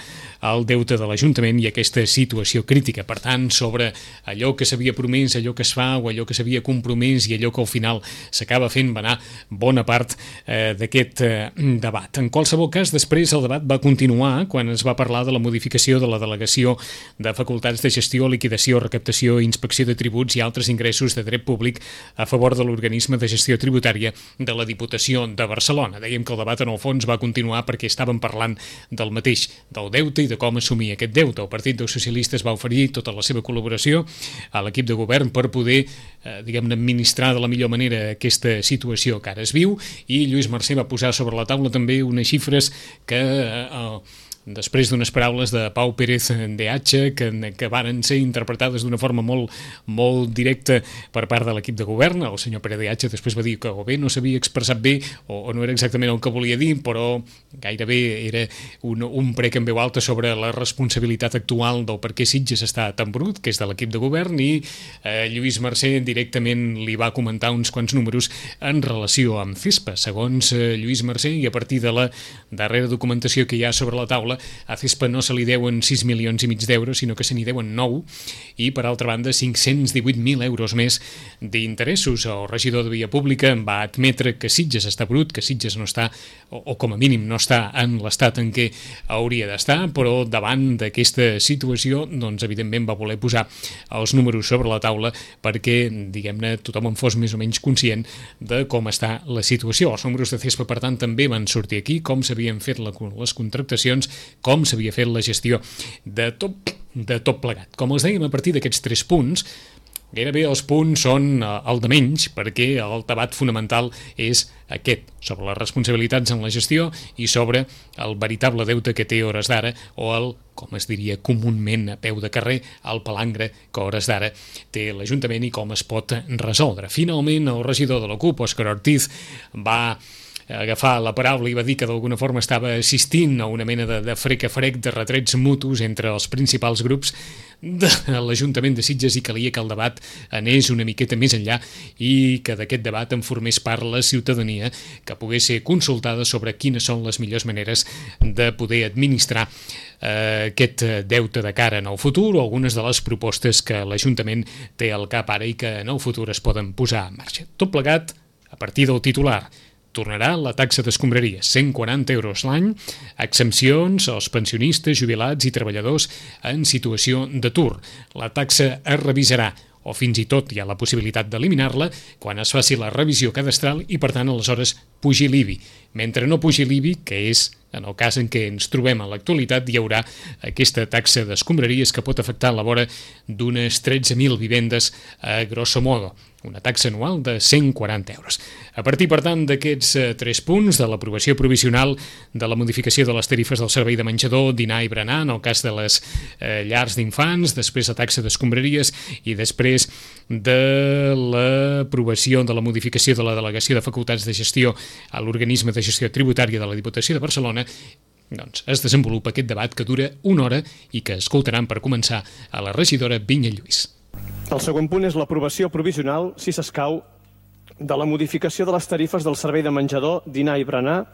el deute de l'Ajuntament i aquesta situació crítica. Per tant, sobre allò que s'havia promès, allò que es fa o allò que s'havia compromès i allò que al final s'acaba fent, va anar bona part eh, d'aquest eh, debat. En qualsevol cas, després el debat va continuar quan es va parlar de la modificació de la delegació de facultats de gestió, liquidació, recaptació, inspecció de tributs i altres ingressos de dret públic a favor de l'organisme de gestió tributària de la Diputació de Barcelona. Dèiem que el debat en el fons va continuar perquè estàvem parlant del mateix, del deute i de com assumir aquest deute. El Partit dels Socialistes va oferir tota la seva col·laboració a l'equip de govern per poder, eh, diguem-ne, administrar de la millor manera aquesta situació que ara es viu, i Lluís Mercè va posar sobre la taula també unes xifres que eh, després d'unes paraules de Pau Pérez de H que, que varen ser interpretades d'una forma molt, molt directa per part de l'equip de govern. El senyor Pérez de H després va dir que o bé no s'havia expressat bé o, o no era exactament el que volia dir, però gairebé era un, un prec en veu alta sobre la responsabilitat actual del per què Sitges està tan brut, que és de l'equip de govern, i eh, Lluís Mercè directament li va comentar uns quants números en relació amb CESPA. Segons eh, Lluís Mercè, i a partir de la darrera documentació que hi ha sobre la taula, a CESPA no se li deuen sis milions i mig d'euros, sinó que se n'hi deuen nou, i per altra banda cinc-cents divuit mil euros més d'interessos. El regidor de Via Pública va admetre que Sitges està brut, que Sitges no està, o, o com a mínim no està en l'estat en què hauria d'estar, però davant d'aquesta situació, doncs evidentment va voler posar els números sobre la taula perquè, diguem-ne, tothom en fos més o menys conscient de com està la situació. Els números de CESPA, per tant, també van sortir aquí, com s'havien fet la, les contractacions, com s'havia fet la gestió de tot, de tot plegat. Com els dèiem, a partir d'aquests tres punts, Gairebé els punts són el de menys, perquè el debat fonamental és aquest, sobre les responsabilitats en la gestió i sobre el veritable deute que té a hores d'ara, o el, com es diria comúment a peu de carrer, el palangre que a hores d'ara té l'Ajuntament i com es pot resoldre. Finalment, el regidor de la CUP, Òscar Ortiz, va agafar la paraula i va dir que d'alguna forma estava assistint a una mena de, de frec a frec, de retrets mutus entre els principals grups de l'Ajuntament de Sitges i calia que el debat anés una miqueta més enllà i que d'aquest debat en formés part la ciutadania, que pogués ser consultada sobre quines són les millors maneres de poder administrar eh, aquest deute de cara en el futur o algunes de les propostes que l'Ajuntament té al cap ara i que en el futur es poden posar en marxa. Tot plegat a partir del titular. Tornarà la taxa d'escombraries, cent quaranta euros l'any, exempcions als pensionistes, jubilats i treballadors en situació d'atur. La taxa es revisarà, o fins i tot hi ha la possibilitat d'eliminar-la quan es faci la revisió cadastral i, per tant, aleshores pugi l'I B I. Mentre no pugi l'I B I, que és en el cas en què ens trobem en l'actualitat, hi haurà aquesta taxa d'escombraries que pot afectar la vora d'unes tretze mil vivendes a grosso modo, una taxa anual de cent quaranta euros. A partir, per tant, d'aquests eh, tres punts de l'aprovació provisional de la modificació de les tarifes del servei de menjador, dinar i berenar, en el cas de les eh, llars d'infants, després la taxa d'escombraries i després de l'aprovació de la modificació de la delegació de facultats de gestió a l'organisme de gestió tributària de la Diputació de Barcelona, doncs es desenvolupa aquest debat que dura una hora i que escoltaran per començar a la regidora Vinya Lluís. El segon punt és l'aprovació provisional, si s'escau, de la modificació de les tarifes del servei de menjador, dinar i berenar,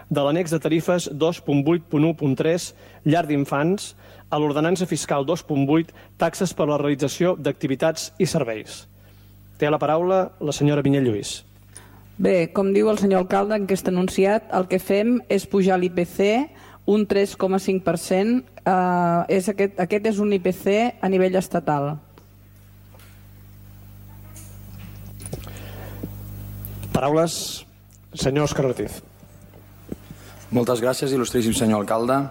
de l'annex de tarifes dos punt vuit punt u punt tres, llar d'infants, a l'ordenança fiscal dos punt vuit, taxes per a la realització d'activitats i serveis. Té la paraula la senyora Vinya Lluís. Bé, com diu el senyor alcalde, en aquest anunciat, el que fem és pujar l'I P C un tres coma cinc per cent. Eh, és aquest, aquest és un I P C a nivell estatal. Paraules, senyor Òscar Ortiz. Moltes gràcies, il·lustríssim senyor alcalde.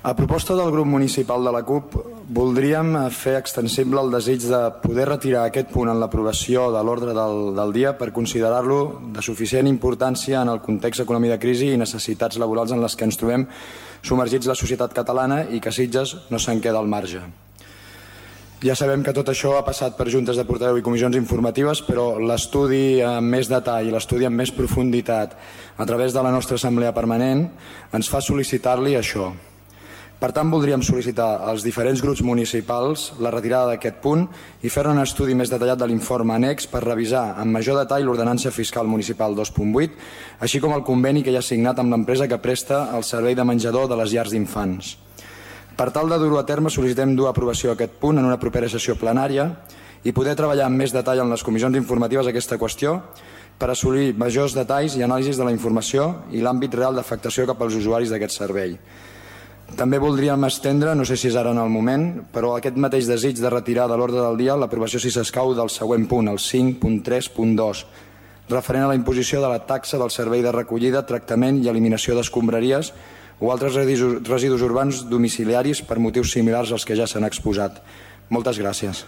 A proposta del grup municipal de la CUP, voldríem fer extensible el desig de poder retirar aquest punt en l'aprovació de l'ordre del, del dia per considerar-lo de suficient importància en el context econòmic de crisi i necessitats laborals en les que ens trobem submergits la societat catalana i que Sitges no se'n queda al marge. Ja sabem que tot això ha passat per juntes de portaveu i comissions informatives, però l'estudi amb més detall i l'estudi amb més profunditat a través de la nostra assemblea permanent ens fa sol·licitar-li això. Per tant, voldríem sol·licitar als diferents grups municipals la retirada d'aquest punt i fer un estudi més detallat de l'informe annex per revisar amb major detall l'ordenança fiscal municipal dos punt vuit, així com el conveni que hi ha signat amb l'empresa que presta el servei de menjador de les llars d'infants. Per tal de dur-ho a terme, sol·licitem dur a aprovació aquest punt en una propera sessió plenària i poder treballar amb més detall en les comissions informatives aquesta qüestió per assolir majors detalls i anàlisis de la informació i l'àmbit real d'afectació cap als usuaris d'aquest servei. També voldríem estendre, no sé si és ara en el moment, però aquest mateix desig de retirar de l'ordre del dia l'aprovació, si s'escau, del següent punt, el cinc punt tres punt dos, referent a la imposició de la taxa del servei de recollida, tractament i eliminació d'escombraries o altres residus urbans domiciliaris per motius similars als que ja s'han exposat. Moltes gràcies.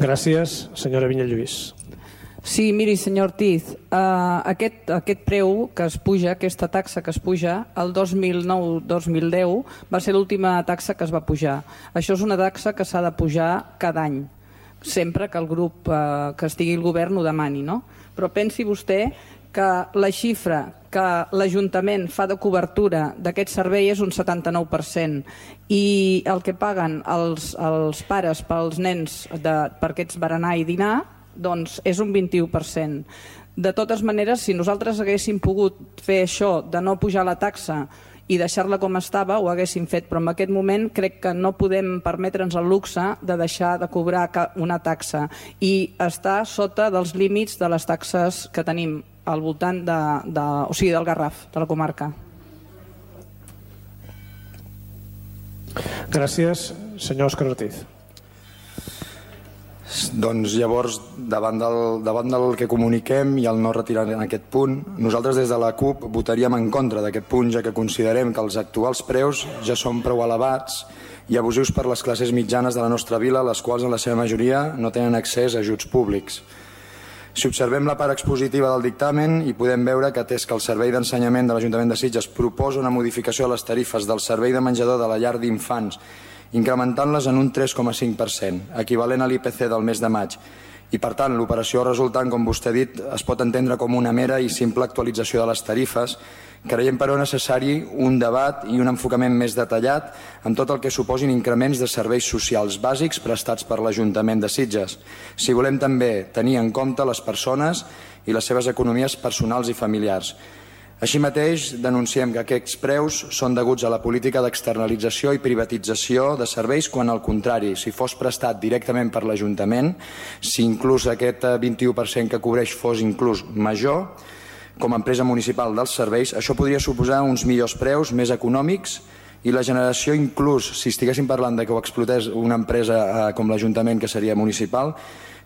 Gràcies, senyora Vinya Lluís. Sí, miri, senyor Ortiz, eh, aquest, aquest preu que es puja, aquesta taxa que es puja, el dos mil nou dos mil deu va ser l'última taxa que es va pujar. Això és una taxa que s'ha de pujar cada any, sempre que el grup eh, que estigui al govern ho demani, no? Però pensi vostè que la xifra que l'Ajuntament fa de cobertura d'aquest servei és un setanta-nou per cent i el que paguen els, els pares pels nens de, per aquests berenar i dinar doncs és un vint-i-u per cent. De totes maneres, si nosaltres haguéssim pogut fer això de no pujar la taxa i deixar-la com estava, ho haguéssim fet, però en aquest moment crec que no podem permetre'ns el luxe de deixar de cobrar una taxa i estar sota dels límits de les taxes que tenim al voltant de, de, o sigui, del Garraf, de la comarca. Gràcies, senyor Òscar Ortiz. Doncs llavors, davant del, davant del que comuniquem i el no retirar en aquest punt, nosaltres des de la CUP votaríem en contra d'aquest punt, ja que considerem que els actuals preus ja són prou elevats i abusius per les classes mitjanes de la nostra vila, les quals en la seva majoria no tenen accés a ajuts públics. Si observem la part expositiva del dictamen hi podem veure que atès que el Servei d'Ensenyament de l'Ajuntament de Sitges proposa una modificació de les tarifes del servei de menjador de la llar d'infants incrementant-les en un tres coma cinc per cent, equivalent a l'I P C del mes de maig. I, per tant, l'operació resultant, com vostè ha dit, es pot entendre com una mera i simple actualització de les tarifes. Creiem, però, necessari un debat i un enfocament més detallat en tot el que suposin increments de serveis socials bàsics prestats per l'Ajuntament de Sitges, si volem també tenir en compte les persones i les seves economies personals i familiars. Així mateix, denunciem que aquests preus són deguts a la política d'externalització i privatització de serveis quan, al contrari, si fos prestat directament per l'Ajuntament, si inclús aquest vint-i-u per cent que cobreix fos inclús major, com a empresa municipal dels serveis, això podria suposar uns millors preus, més econòmics, i la generació, inclús, si estiguéssim parlant de que ho explotés una empresa com l'Ajuntament, que seria municipal,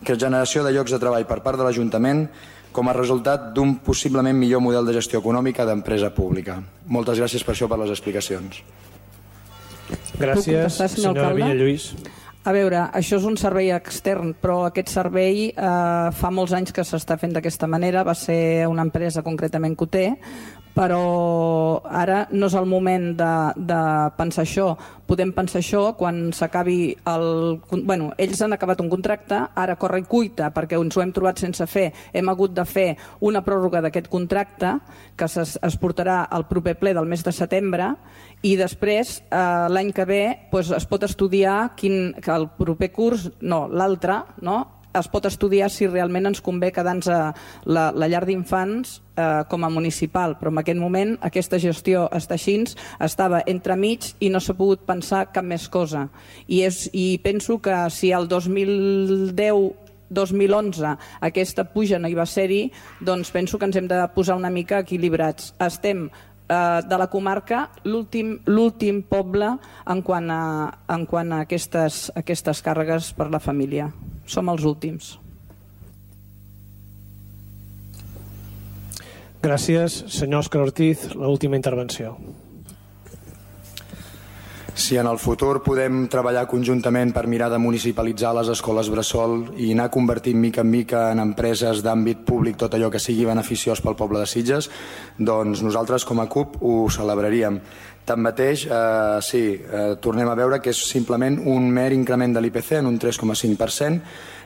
que generació de llocs de treball per part de l'Ajuntament com a resultat d'un possiblement millor model de gestió econòmica d'empresa pública. Moltes gràcies per això, per les explicacions. Gràcies, senyora Villalluís. A veure, això és un servei extern, però aquest servei eh, fa molts anys que s'està fent d'aquesta manera, va ser una empresa concretament que ho té, però ara no és el moment de, de pensar això. Podem pensar això quan s'acabi el... Bueno, ells han acabat un contracte, ara corre i cuita, perquè ens ho hem trobat sense fer. Hem hagut de fer una pròrroga d'aquest contracte, que es, es portarà al proper ple del mes de setembre, i després, eh, l'any que ve, doncs, es pot estudiar quin, que el proper curs, no, l'altre, no? Es pot estudiar si realment ens convé quedar-nos a la, la llar d'infants eh, com a municipal, però en aquest moment aquesta gestió està així, estava entremig i no s'ha pogut pensar cap més cosa. I, és, i penso que si el dos mil deu dos mil onze aquesta puja no hi va ser-hi, doncs penso que ens hem de posar una mica equilibrats. Estem eh, de la comarca l'últim l'últim poble en quant a, en quant a aquestes, aquestes càrregues per la família. Som els últims. Gràcies. Senyor Òscar Ortiz, l'última intervenció. Si en el futur podem treballar conjuntament per mirar de municipalitzar les escoles bressol i anar convertint mica en mica en empreses d'àmbit públic tot allò que sigui beneficiós pel poble de Sitges, doncs nosaltres com a CUP ho celebraríem. Tanmateix, eh, sí, eh, tornem a veure que és simplement un mer increment de l'I P C en un tres coma cinc per cent,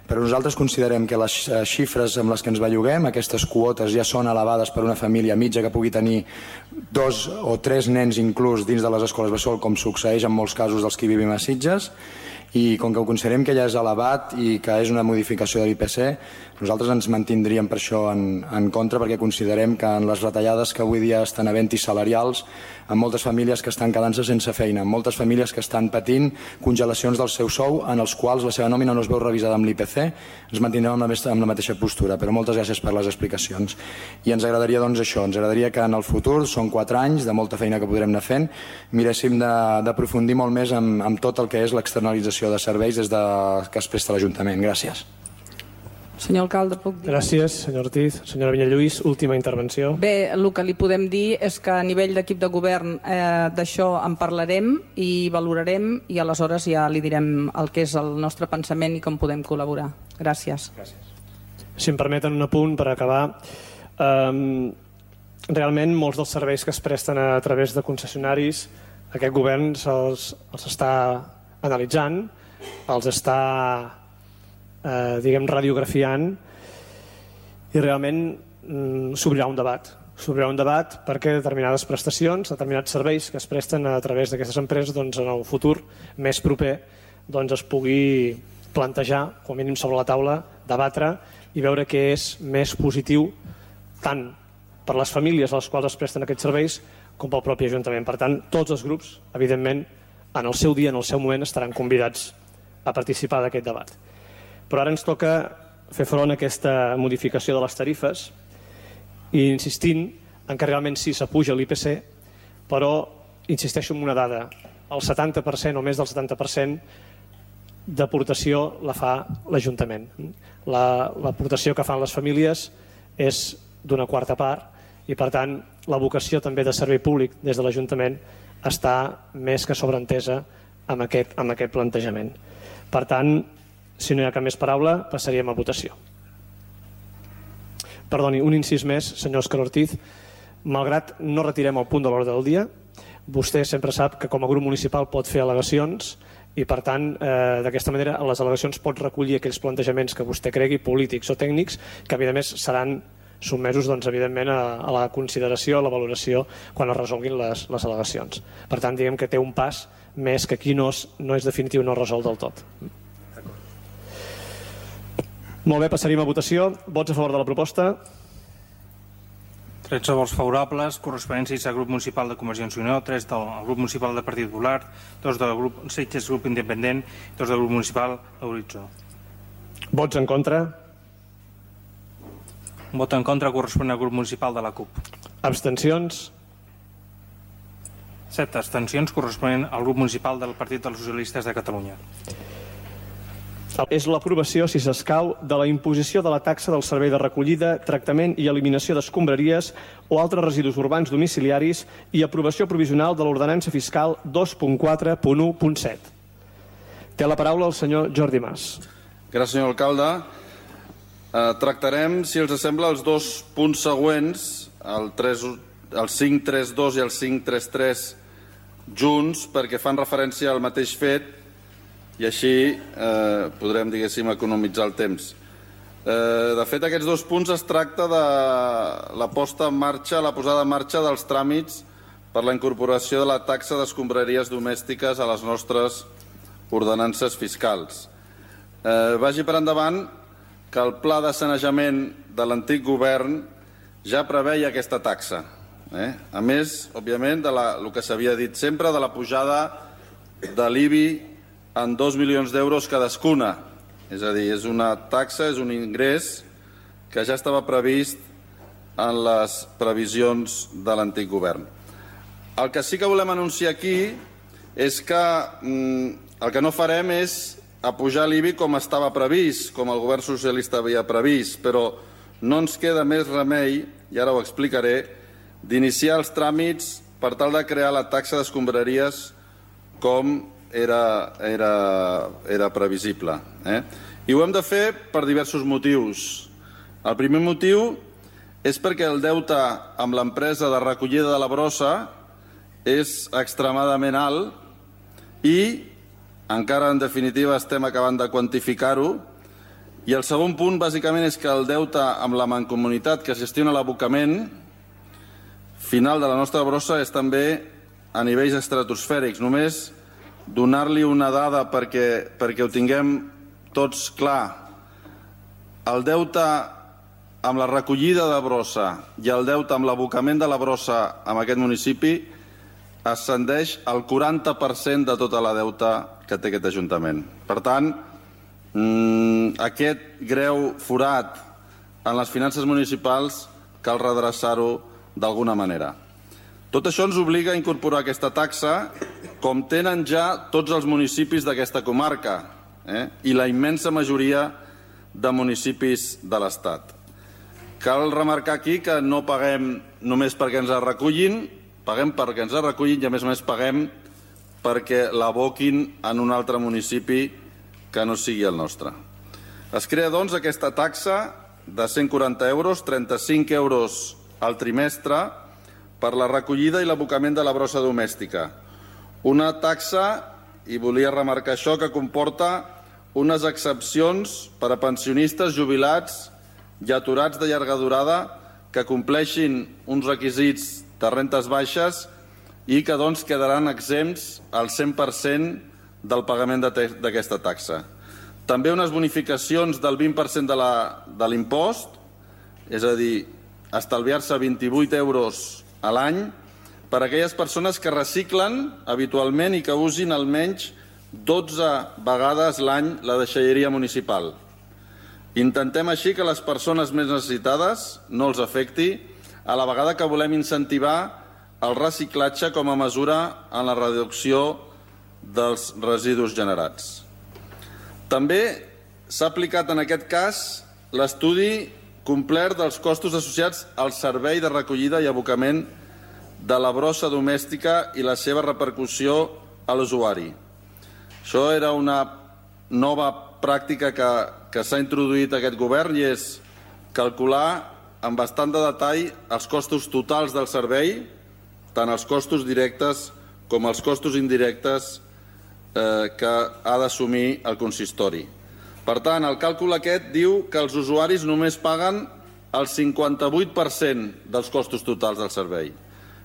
però nosaltres considerem que les xifres amb les que ens belluguem, aquestes quotes ja són elevades per una família mitja que pugui tenir dos o tres nens inclús dins de les escoles bressol, com succeeix en molts casos dels que vivim a Sitges, i com que ho considerem que ja és elevat i que és una modificació de l'I P C, nosaltres ens mantindríem per això en, en contra, perquè considerem que en les retallades que avui dia estan havent-hi salarials, en moltes famílies que estan quedant-se sense feina, en moltes famílies que estan patint congelacions del seu sou en els quals la seva nòmina no es veu revisada amb l'I P C, ens mantindrem amb la, amb la mateixa postura, però moltes gràcies per les explicacions. I ens agradaria doncs això, ens agradaria que en el futur, són quatre anys de molta feina que podrem anar fent, miréssim d'aprofundir molt més en, en tot el que és l'externalització de serveis des de, que es presta l'Ajuntament. Gràcies. Senyor alcalde, puc dir? Gràcies, senyor Ortiz. Senyora Villalluís, última intervenció. Bé, el que li podem dir és que a nivell d'equip de govern eh, d'això en parlarem i valorarem i aleshores ja li direm el que és el nostre pensament i com podem col·laborar. Gràcies. Gràcies. Si em permeten un apunt per acabar, um, realment molts dels serveis que es presten a través de concessionaris, aquest govern els, els està analitzant, els està eh, diguem radiografiant i realment mm, s'obrirà un debat. S'obrirà un debat perquè determinades prestacions, determinats serveis que es presten a través d'aquestes empreses doncs, en el futur més proper doncs, es pugui plantejar, com a mínim sobre la taula, debatre i veure què és més positiu tant per les famílies a les quals es presten aquests serveis com pel propi Ajuntament. Per tant, tots els grups, evidentment, en el seu dia, en el seu moment, estaran convidats a participar d'aquest debat. Però ara ens toca fer front a aquesta modificació de les tarifes i insistint en que realment sí s'apuja l'I P C, però insisteixo en una dada, el setanta per cent o més del setanta per cent d'aportació la fa l'Ajuntament. L'aportació que fan les famílies és d'una quarta part i, per tant, la vocació també de servei públic des de l'Ajuntament està més que sobreentesa amb aquest, amb aquest plantejament. Per tant, si no hi ha cap més paraula, passaríem a votació. Perdoni, un incís més, senyor Òscar Ortiz. Malgrat no retirem el punt de l'ordre del dia, vostè sempre sap que com a grup municipal pot fer al·legacions i, per tant, eh, d'aquesta manera, a les al·legacions pot recollir aquells plantejaments que vostè cregui, polítics o tècnics, que, a més, seran sotmesos, doncs, evidentment, a, a la consideració, a la valoració, quan es resolguin les, les al·legacions. Per tant, diguem que té un pas més que aquí no és, no és definitiu, no es resol del tot. Molt bé, passaríem a votació. Vots a favor de la proposta? tretze vots favorables, corresponents sis al grup municipal de Convergència i Unió, tres del grup municipal del Partit Popular, dos del grup Sitges Grup Independent i dos del grup municipal Horitzó. Vots en contra? Un vot en contra correspon al grup municipal de la C U P. Abstencions? set abstencions corresponent al grup municipal del Partit dels Socialistes de Catalunya. És l'aprovació, si s'escau, de la imposició de la taxa del servei de recollida, tractament i eliminació d'escombraries o altres residus urbans domiciliaris i aprovació provisional de l'ordenança fiscal dos punt quatre punt u punt set. Té la paraula el senyor Jordi Mas. Gràcies, senyor alcalde. Eh, tractarem, si els sembla, els dos punts següents, el, el cinc trenta dos i el cinc trenta tres, junts, perquè fan referència al mateix fet i així eh, podrem, diguéssim, economitzar el temps. Eh, de fet, aquests dos punts es tracta de la posta en marxa, la posada en marxa dels tràmits per la incorporació de la taxa d'escombraries domèstiques a les nostres ordenances fiscals. Eh, vagi per endavant que el pla de sanejament de l'antic govern ja preveia aquesta taxa. Eh? A més, òbviament, de la, el que s'havia dit sempre, de la pujada de l'I B I en dos milions d'euros cadascuna. És a dir, és una taxa, és un ingrés que ja estava previst en les previsions de l'antic govern. El que sí que volem anunciar aquí és que mm, el que no farem és apujar l'I B I com estava previst, com el govern socialista havia previst, però no ens queda més remei, i ara ho explicaré, d'iniciar els tràmits per tal de crear la taxa d'escombraries com Era, era, era previsible. Eh? I ho hem de fer per diversos motius. El primer motiu és perquè el deute amb l'empresa de recollida de la brossa és extremadament alt i encara en definitiva estem acabant de quantificar-ho. I el segon punt bàsicament és que el deute amb la mancomunitat que gestiona l'abocament final de la nostra brossa és també a nivells estratosfèrics. Només donar-li una dada perquè, perquè ho tinguem tots clar. El deute amb la recollida de brossa i el deute amb l'abocament de la brossa en aquest municipi ascendeix al quaranta per cent de tota la deuta que té aquest Ajuntament. Per tant, mmm, aquest greu forat en les finances municipals cal redreçar-ho d'alguna manera. Tot això ens obliga a incorporar aquesta taxa com tenen ja tots els municipis d'aquesta comarca eh? i la immensa majoria de municipis de l'Estat. Cal remarcar aquí que no paguem només perquè ens recullin, paguem perquè ens recullin i a més a més paguem perquè l'aboquin en un altre municipi que no sigui el nostre. Es crea, doncs, aquesta taxa de cent quaranta euros, trenta-cinc euros al trimestre, per la recollida i l'abocament de la brossa domèstica. Una taxa, i volia remarcar això, que comporta unes excepcions per a pensionistes, jubilats i aturats de llarga durada que compleixin uns requisits de rentes baixes i que doncs quedaran exempts al cent per cent del pagament d'aquesta taxa. També unes bonificacions del vint per cent de l'impost, és a dir, estalviar-se vint-i-vuit euros a l'any per a aquelles persones que reciclen habitualment i que usin almenys dotze vegades l'any la deixalleria municipal. Intentem així que les persones més necessitades no els afecti, a la vegada que volem incentivar el reciclatge com a mesura en la reducció dels residus generats. També s'ha aplicat en aquest cas l'estudi complert dels costos associats al servei de recollida i abocament de la brossa domèstica i la seva repercussió a l'usuari. Això era una nova pràctica que, que s'ha introduït aquest govern i és calcular amb bastant de detall els costos totals del servei, tant els costos directes com els costos indirectes eh, que ha d'assumir el consistori. Per tant, el càlcul aquest diu que els usuaris només paguen el cinquanta-vuit per cent dels costos totals del servei,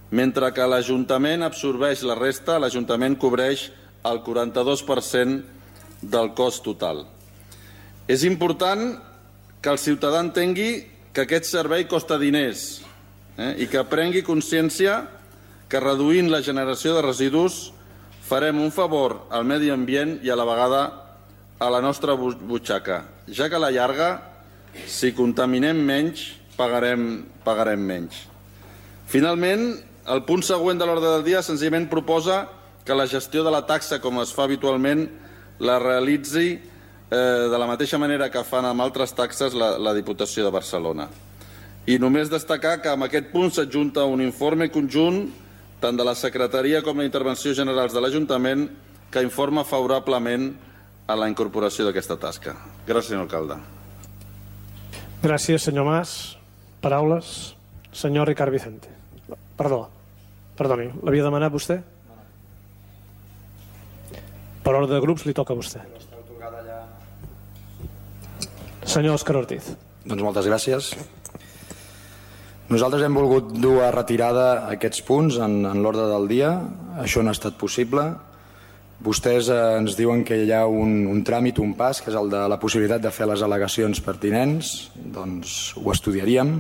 mentre que l'Ajuntament absorbeix la resta, l'Ajuntament cobreix el quaranta-dos per cent del cost total. És important que el ciutadà entengui que aquest servei costa diners eh, i que prengui consciència que reduint la generació de residus farem un favor al medi ambient i a la vegada a la nostra butxaca, ja que a la llarga, si contaminem menys, pagarem, pagarem menys. Finalment, el punt següent de l'ordre del dia senzillament proposa que la gestió de la taxa, com es fa habitualment, la realitzi eh, de la mateixa manera que fan amb altres taxes la, la Diputació de Barcelona. I només destacar que amb aquest punt s'adjunta un informe conjunt tant de la Secretaria com de l'Intervenció Generals de l'Ajuntament que informa favorablement a la incorporació d'aquesta tasca. Gràcies, senyor alcalde. Gràcies, senyor Mas. Paraules. Senyor Ricard Vicente. Perdó. Perdoni, l'havia demanat vostè? Per ordre de grups li toca a vostè. Senyor Òscar Ortiz. Doncs moltes gràcies. Nosaltres hem volgut dur a retirada aquests punts en, en l'ordre del dia. Això no ha estat possible. Vostès eh, ens diuen que hi ha un, un tràmit, un pas, que és el de la possibilitat de fer les al·legacions pertinents. Doncs ho estudiaríem.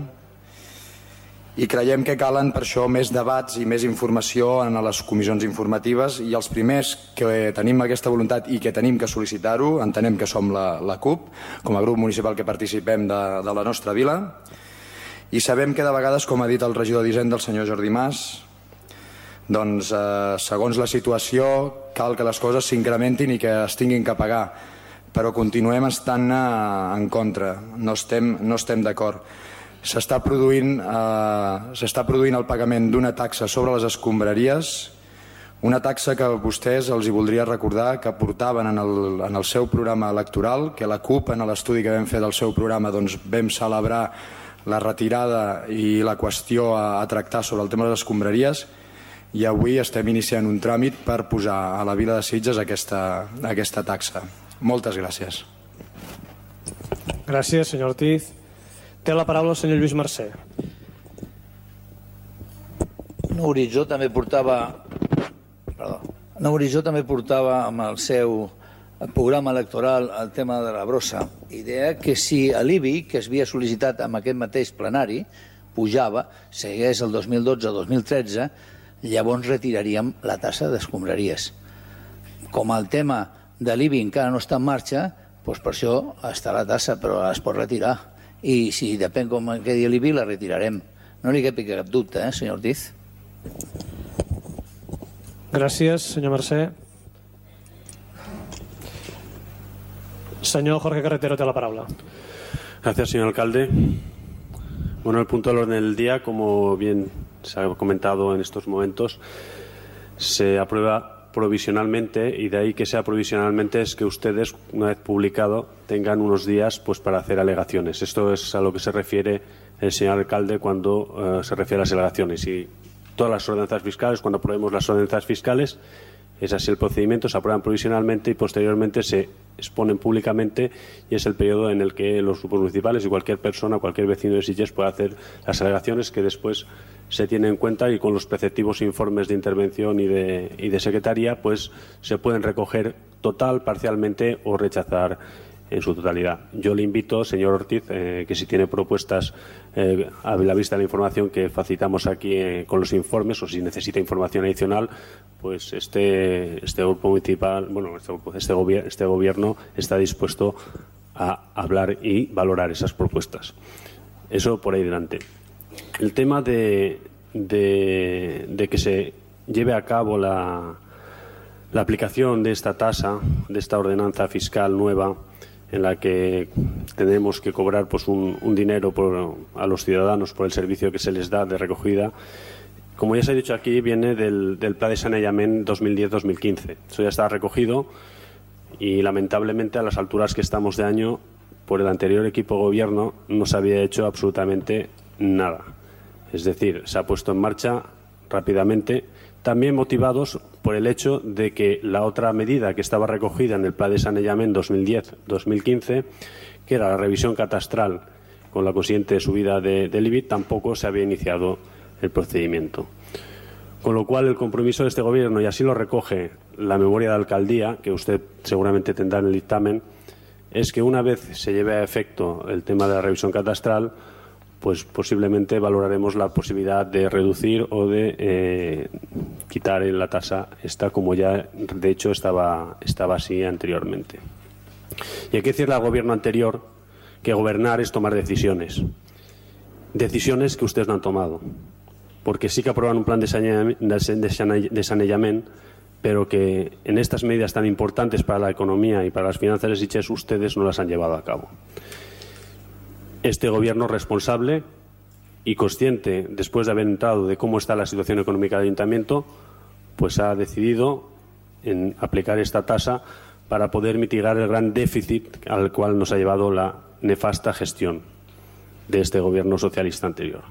I creiem que calen per això més debats i més informació en les comissions informatives i els primers que tenim aquesta voluntat i que tenim que sol·licitar-ho, entenem que som la, la CUP, com a grup municipal que participem de, de la nostra vila, i sabem que de vegades, com ha dit el regidor d'Hisenda, el senyor Jordi Mas, doncs eh, segons la situació cal que les coses s'incrementin i que es tinguin que pagar, però continuem estant eh, en contra, no estem, no estem d'acord. S'està produint, eh, s'està produint el pagament d'una taxa sobre les escombraries, una taxa que vostès els hi voldria recordar que portaven en el, en el seu programa electoral, que la CUP en l'estudi que vam fer del seu programa doncs, vam celebrar la retirada i la qüestió a, a tractar sobre el tema de les escombraries i avui estem iniciant un tràmit per posar a la vila de Sitges aquesta, aquesta taxa. Moltes gràcies. Gràcies, senyor Ortiz. Té la paraula el senyor Lluís Mercè. Nou Horitzó també portava perdó, Nou Horitzó també portava amb el seu programa electoral el tema de la brossa. Idea que si l'I B I, que es havia sol·licitat amb aquest mateix plenari, pujava, segueix el dos mil dotze dos mil tretze, llavors retiraríem la tassa d'escombraries. Com el tema de l'I B I encara no està en marxa, doncs per això està la tassa, però es pot retirar. I si depèn com quedi l'I B I, la retirarem. No li quepi cap dubte, eh, senyor Ortiz? Gràcies, senyor Mercè. Señor Jorge Carretero, te la palabra. Gracias, señor alcalde. Bueno, el punto del orden del día, como bien se ha comentado en estos momentos, se aprueba provisionalmente, y de ahí que sea provisionalmente es que ustedes, una vez publicado, tengan unos días pues para hacer alegaciones. Esto es a lo que se refiere el señor alcalde cuando uh, se refiere a las alegaciones. Y todas las ordenanzas fiscales, cuando aprobemos las ordenanzas fiscales, es así el procedimiento, se aprueban provisionalmente y posteriormente se exponen públicamente, y es el periodo en el que los grupos municipales y cualquier persona, cualquier vecino de Sitges puede hacer las alegaciones que después se tienen en cuenta, y con los preceptivos informes de intervención y de, y de secretaría pues se pueden recoger total, parcialmente o rechazar en su totalidad. Yo le invito, señor Ortiz, eh, que si tiene propuestas eh, a la vista de la información que facilitamos aquí eh, con los informes, o si necesita información adicional, pues este, este grupo municipal, bueno, este, este, gobier este gobierno está dispuesto a hablar y valorar esas propuestas. Eso por ahí delante. El tema de, de, de que se lleve a cabo la, La aplicación de esta tasa, de esta ordenanza fiscal nueva, en la que tenemos que cobrar pues, un, un dinero por, a los ciudadanos por el servicio que se les da de recogida, como ya se ha dicho aquí, viene del, del Pla de Saneamiento dos mil diez dos mil quince. Eso ya está recogido y, lamentablemente, a las alturas que estamos de año, por el anterior equipo de gobierno no se había hecho absolutamente nada. Es decir, se ha puesto en marcha rápidamente, también motivados por el hecho de que la otra medida que estaba recogida en el Plan de Saneamiento dos mil diez dos mil quince, que era la revisión catastral con la consiguiente subida de, del I B I, tampoco se había iniciado el procedimiento. Con lo cual, el compromiso de este Gobierno, y así lo recoge la memoria de alcaldía, que usted seguramente tendrá en el dictamen, es que una vez se lleve a efecto el tema de la revisión catastral, pues posiblemente valoraremos la posibilidad de reducir o de eh, quitar la tasa esta, como ya de hecho estaba, estaba así anteriormente. Y hay que decirle al Gobierno anterior que gobernar es tomar decisiones. Decisiones que ustedes no han tomado. Porque sí que aprueban un plan de saneamiento, pero que en estas medidas tan importantes para la economía y para las finanzas de Sitges ustedes no las han llevado a cabo. Este Gobierno responsable y consciente, después de haber entrado de cómo está la situación económica del Ayuntamiento, pues ha decidido en aplicar esta tasa para poder mitigar el gran déficit al cual nos ha llevado la nefasta gestión de este Gobierno socialista anterior.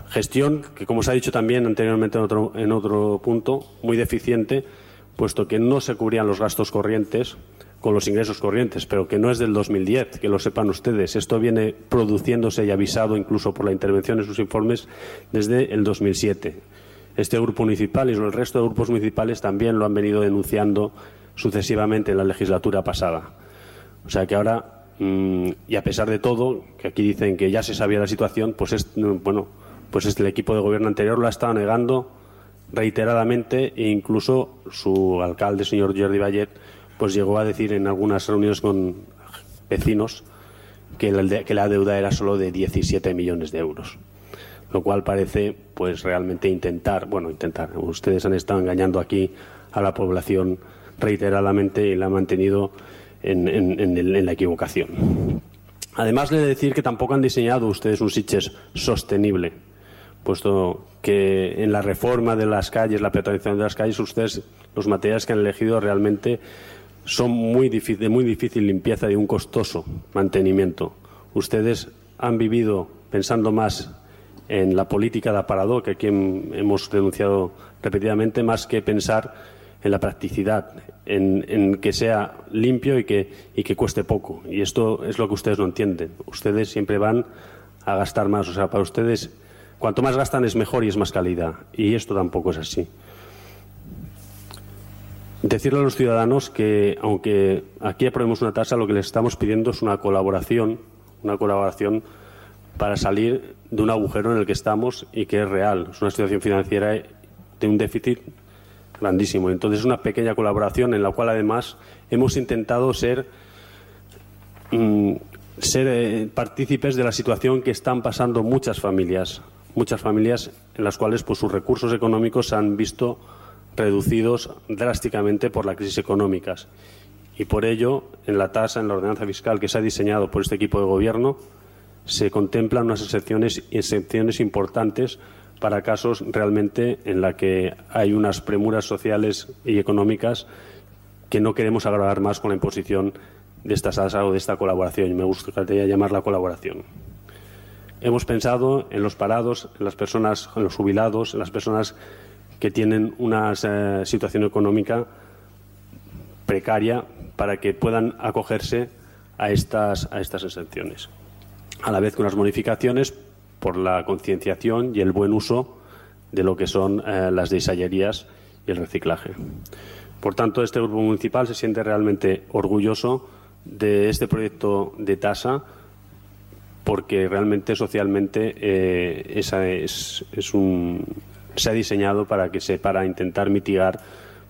Gestión que, como se ha dicho también anteriormente en otro, en otro punto, muy deficiente, puesto que no se cubrían los gastos corrientes con los ingresos corrientes, pero que no es del dos mil diez, que lo sepan ustedes. Esto viene produciéndose y avisado incluso por la intervención en sus informes desde el dos mil siete. Este grupo municipal y el resto de grupos municipales también lo han venido denunciando sucesivamente en la legislatura pasada. O sea que ahora, mmm, y a pesar de todo, que aquí dicen que ya se sabía la situación, pues es, bueno, pues el equipo de gobierno anterior lo ha estado negando reiteradamente, e incluso su alcalde, señor Jordi Vallet, pues llegó a decir en algunas reuniones con vecinos que la, que la deuda era solo de diecisiete millones de euros. Lo cual parece pues realmente intentar, bueno, intentar, ustedes han estado engañando aquí a la población reiteradamente y la han mantenido en, en, en, el, en la equivocación. Además, le he de decir que tampoco han diseñado ustedes un Sitges sostenible, puesto que en la reforma de las calles, la peatonalización de las calles, ustedes, los materiales que han elegido realmente son muy difícil, de muy difícil limpieza y de un costoso mantenimiento. Ustedes han vivido pensando más en la política de aparador, que aquí hemos denunciado repetidamente, más que pensar en la practicidad, en, en que sea limpio y que, y que cueste poco. Y esto es lo que ustedes no entienden. Ustedes siempre van a gastar más. O sea, para ustedes, cuanto más gastan es mejor y es más calidad. Y esto tampoco es así. Decirle a los ciudadanos que, aunque aquí aprobemos una tasa, lo que les estamos pidiendo es una colaboración, una colaboración para salir de un agujero en el que estamos y que es real. Es una situación financiera de un déficit grandísimo. Entonces, es una pequeña colaboración en la cual, además, hemos intentado ser, mmm, ser eh, partícipes de la situación que están pasando muchas familias, muchas familias en las cuales pues, sus recursos económicos se han visto reducidos drásticamente por la crisis económica. Y por ello, en la tasa, en la ordenanza fiscal que se ha diseñado por este equipo de gobierno, se contemplan unas excepciones, excepciones importantes para casos realmente en la que hay unas premuras sociales y económicas que no queremos agravar más con la imposición de esta tasa o de esta colaboración. Y me gustaría llamarla colaboración. Hemos pensado en los parados, en las personas, en los jubilados, en las personas que tienen una eh, situación económica precaria para que puedan acogerse a estas, a estas exenciones. A la vez que unas modificaciones por la concienciación y el buen uso de lo que son eh, las desayerías y el reciclaje. Por tanto, este grupo municipal se siente realmente orgulloso de este proyecto de tasa, porque realmente socialmente eh, esa es, es un, se ha diseñado para que se para intentar mitigar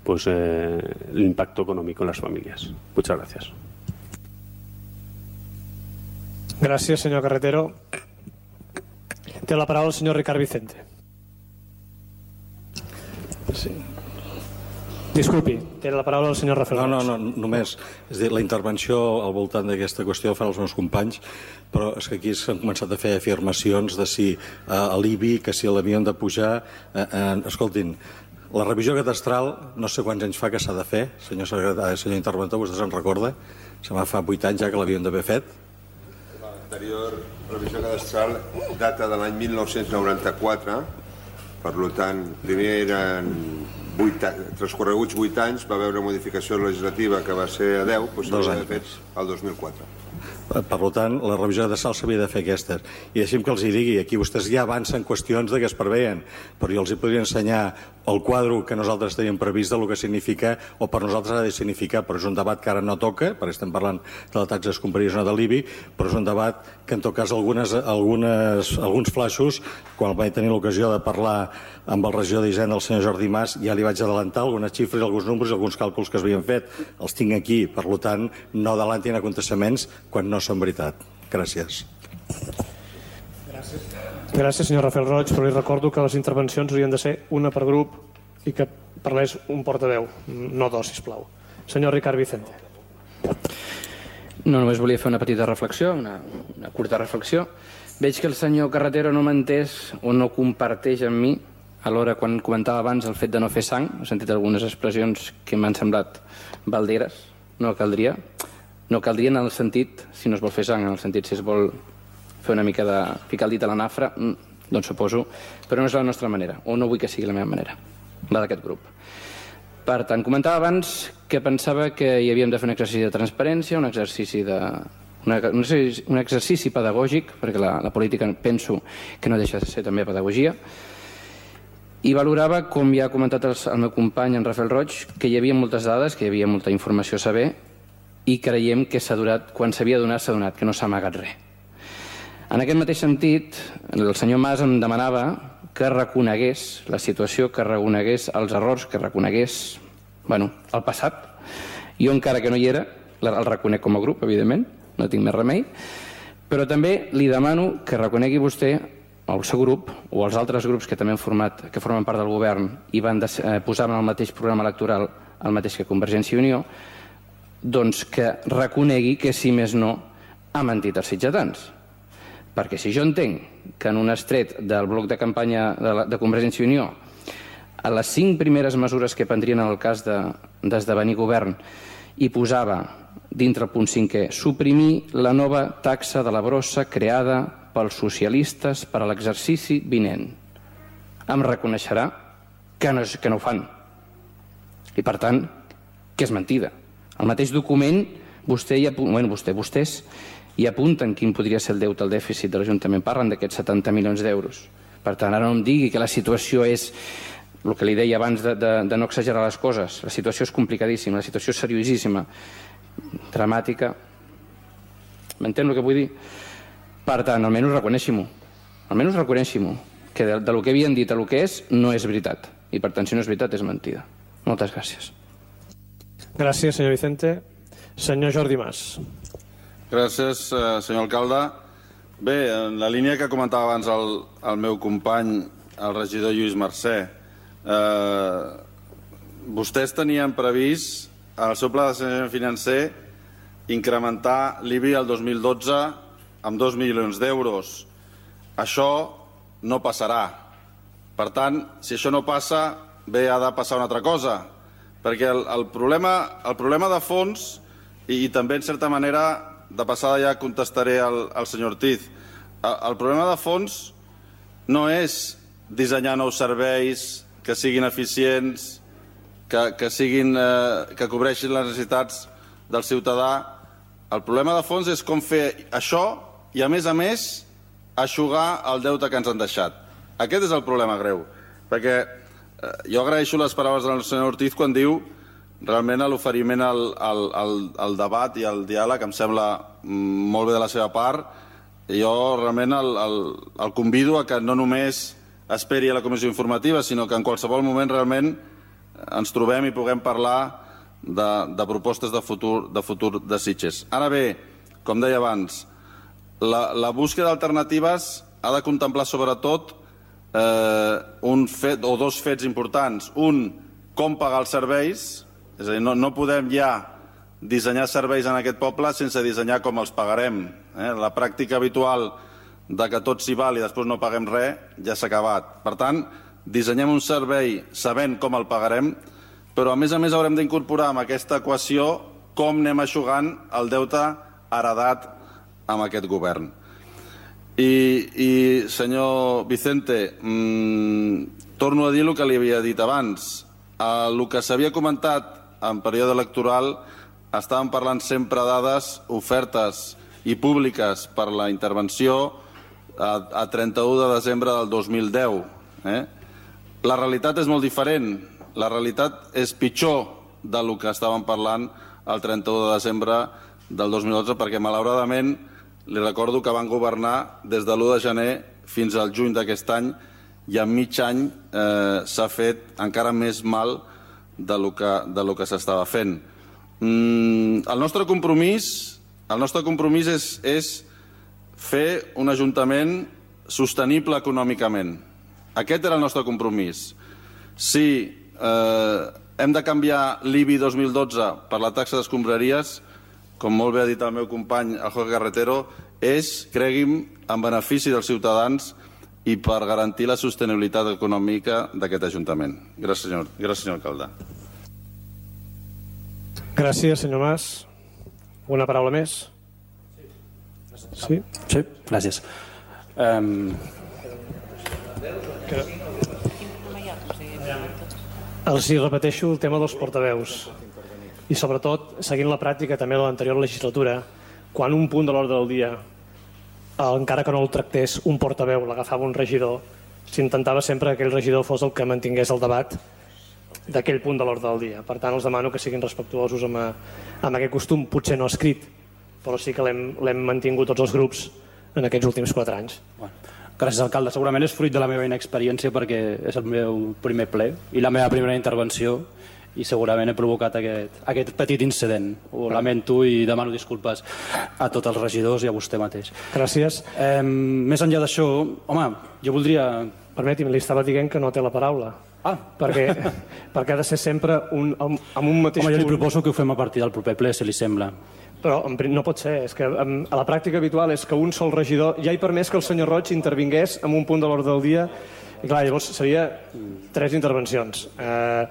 pues, eh, el impacto económico en las familias. Muchas gracias. Gracias, señor Carretero. Té la paraula el senyor Ricard Vicente. Sí. Disculpi, té la paraula el senyor Rafael Roig. No, no, no, només. És dir, la intervenció al voltant d'aquesta qüestió fan els meus companys, però és que aquí s'han començat a fer afirmacions de si eh, a l'I B I, que si l'havien de pujar... Eh, eh, escoltin, la revisió catastral no sé quants anys fa que s'ha de fer, senyor secretari, senyor interventor, vostè se'n recorda? Se m'ha fa vuit anys ja que l'havien d'haver fet. L'anterior revisió cadastral data de l'any mil nou-cents noranta-quatre, per tant, primer eren vuit, transcorreguts vuit anys, va haver una modificació legislativa que va ser a deu, doncs s'havia de fet el dos mil quatre. Per tant, la revisió de sal s'havia de fer aquestes. I deixi'm que els hi digui, aquí vostès ja avancen qüestions de què es preveien, però jo els hi podria ensenyar el quadre que nosaltres teníem previst del que significa, o per nosaltres ha de significar, però és un debat que ara no toca, perquè estem parlant de la taxa d'escombraria de l'I B I, però és un debat que en tot cas algunes, algunes, alguns flaixos, quan vaig tenir l'ocasió de parlar amb el regidor d'Hisenda, el senyor Jordi Mas, ja li vaig adelantar algunes xifres, alguns números, alguns càlculs que es havien fet. Els tinc aquí, per tant, no adelantin aconteciments quan no són veritat. Gràcies. Gràcies. Gràcies, senyor Rafael Roig, però li recordo que les intervencions haurien de ser una per grup i que parlés un portaveu, no dos, sisplau. Senyor Ricard Vicente. No, només volia fer una petita reflexió, una, una curta reflexió. Veig que el senyor Carretero no m'ha entès o no comparteix amb mi alhora quan comentava abans el fet de no fer sang. He sentit algunes expressions que m'han semblat balderes. No caldria. No caldria en el sentit, si no es vol fer sang, en el sentit si es vol fer una mica de ficar el dit a la nafra, doncs suposo, però no és la nostra manera, o no vull que sigui la meva manera, la d'aquest grup. Per tant, comentava abans que pensava que hi havíem de fer un exercici de transparència, un exercici de... un exercici pedagògic, perquè la, la política penso que no deixa de ser també pedagogia, i valorava, com ja ha comentat el, el meu company, en Rafael Roig, que hi havia moltes dades, que hi havia molta informació a saber, i creiem que s'ha donat, quan s'havia donat, s'ha donat, que no s'ha amagat res. En aquest mateix sentit, el senyor Mas em demanava que reconegués la situació, que reconegués els errors, que reconegués, bueno, el passat. Jo, encara que no hi era, el reconec com a grup, evidentment, no tinc més remei, però també li demano que reconegui vostè, el seu grup, o els altres grups que també han format, que formen part del govern i van de, eh, posar en el mateix programa electoral el mateix que Convergència i Unió, doncs que reconegui que, si més no, ha mentit als sitgetans. Perquè si jo entenc que en un estret del bloc de campanya de, la, de Convergència i Unió, a les cinc primeres mesures que prendrien en el cas d'esdevenir de, govern, hi posava, dintre el punt cinquè, suprimir la nova taxa de la brossa creada pels socialistes per a l'exercici vinent. Em reconeixerà que no, que no ho fan. I, per tant, que és mentida. Al mateix document, vostè i, bueno, vostè, vostès i apunten quin podria ser el deute, el dèficit de l'Ajuntament. Parlen d'aquests setanta milions d'euros. Per tant, ara no em digui que la situació és el que li deia abans de, de, de no exagerar les coses. La situació és complicadíssima, la situació és seriosíssima, dramàtica. M'entén el que vull dir? Per tant, almenys reconeixi-m'ho. Almenys reconeixi-m'ho. Que de, de lo que havien dit a lo que és, no és veritat. I per tant, si no és veritat, és mentida. Moltes gràcies. Gràcies, senyor Vicente. Senyor Jordi Mas. Gràcies, senyor alcalde. Bé, en la línia que comentava abans el, el meu company, el regidor Lluís Mercè, eh, vostès tenien previst, en el seu pla de sanejament financer, incrementar l'I B I el dos mil dotze amb dos milions d'euros. Això no passarà. Per tant, si això no passa, bé, ha de passar una altra cosa. Perquè el, el, problema, el problema de fons, i, i també en certa manera, de passada ja contestaré al, al senyor Ortiz, el, el problema de fons no és dissenyar nous serveis que siguin eficients, que, que, siguin, eh, que cobreixin les necessitats del ciutadà. El problema de fons és com fer això i, a més a més, eixugar el deute que ens han deixat. Aquest és el problema greu. Perquè eh, jo agraeixo les paraules del senyor Ortiz quan diu realment l'oferiment al, al, al, al debat i al diàleg em sembla molt bé de la seva part. Jo realment el, el, el convido a que no només esperi a la comissió informativa, sinó que en qualsevol moment realment ens trobem i puguem parlar de, de propostes de futur, de futur de Sitges. Ara bé, com deia abans, la, la búsqueda d'alternatives ha de contemplar sobretot eh, un fet o dos fets importants. Un, com pagar els serveis, és a dir, no, no podem ja dissenyar serveis en aquest poble sense dissenyar com els pagarem. Eh? La pràctica habitual de que tot s'hi val i després no paguem res ja s'ha acabat. Per tant, dissenyem un servei sabent com el pagarem, però a més a més haurem d'incorporar en aquesta equació com anem eixugant el deute heredat amb aquest govern. I, i senyor Vicente, mmm, torno a dir el que li havia dit abans. El que s'havia comentat en període electoral estàvem parlant sempre de dades ofertes i públiques per la intervenció a, a trenta-u de desembre del dos mil deu. Eh? La realitat és molt diferent. La realitat és pitjor del que estàvem parlant el trenta-u de desembre del dos mil dotze, perquè malauradament li recordo que van governar des de l'u de gener fins al juny d'aquest any i en mig any eh, s'ha fet encara més mal de lo que, de lo que s'estava fent. Mm, el nostre compromís, el nostre compromís és, és fer un ajuntament sostenible econòmicament. Aquest era el nostre compromís. Si eh, hem de canviar l'I B I dos mil dotze per la taxa d'escombraries, com molt bé ha dit el meu company, el Jorge Carretero, és, cregui'm, en benefici dels ciutadans i per garantir la sostenibilitat econòmica d'aquest Ajuntament. Gràcies, senyor, gràcies, senyor alcalde. Gràcies, senyor Mas. Una paraula més? Sí? Sí, gràcies. Um... Els hi repeteixo el tema dels portaveus. I sobretot, seguint la pràctica també de l'anterior legislatura, quan un punt de l'ordre del dia, encara que no el tractés un portaveu, l'agafava un regidor, s'intentava sempre que aquell regidor fos el que mantingués el debat d'aquell punt de l'ordre del dia. Per tant, els demano que siguin respectuosos amb, amb aquest costum, potser no escrit, però sí que l'hem mantingut tots els grups en aquests últims quatre anys. Bueno, gràcies, alcalde. Segurament és fruit de la meva inexperiència perquè és el meu primer ple i la meva primera intervenció i segurament he provocat aquest, aquest petit incident. Ho lamento i demano disculpes a tots els regidors i a vostè mateix. Gràcies. Eh, més enllà d'això, home, jo voldria... Permeti'm, li estava dient que no té la paraula. Ah. Perquè, perquè ha de ser sempre un, amb un mateix Home, jo li punt. proposo que ho fem a partir del proper ple, si li sembla. Però no pot ser, és que a la pràctica habitual és que un sol regidor ja hi permès que el senyor Roig intervingués en un punt de l'ordre del dia i clar, llavors seria tres intervencions. Eh,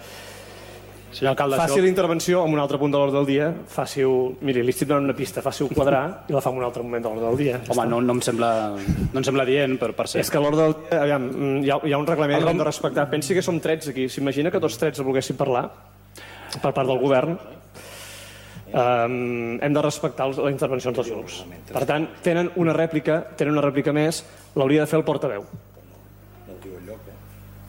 Senyor alcalde, faci això... la intervenció en un altre punt de l'ordre del dia, faci-ho, miri, li estic donant una pista, faci-ho quadrar i la fa en un altre moment de l'ordre del dia. Home, no, no, em sembla, no em sembla dient, per, per ser. És que a l'ordre del dia, aviam, hi ha, hi ha un reglament que hem de respectar. Pensi que som tretze aquí. S'imagina que tots tretze volguessin parlar per part del govern. Um, hem de respectar les intervencions dels grups. Per tant, tenen una rèplica, tenen una rèplica més, l'hauria de fer el portaveu.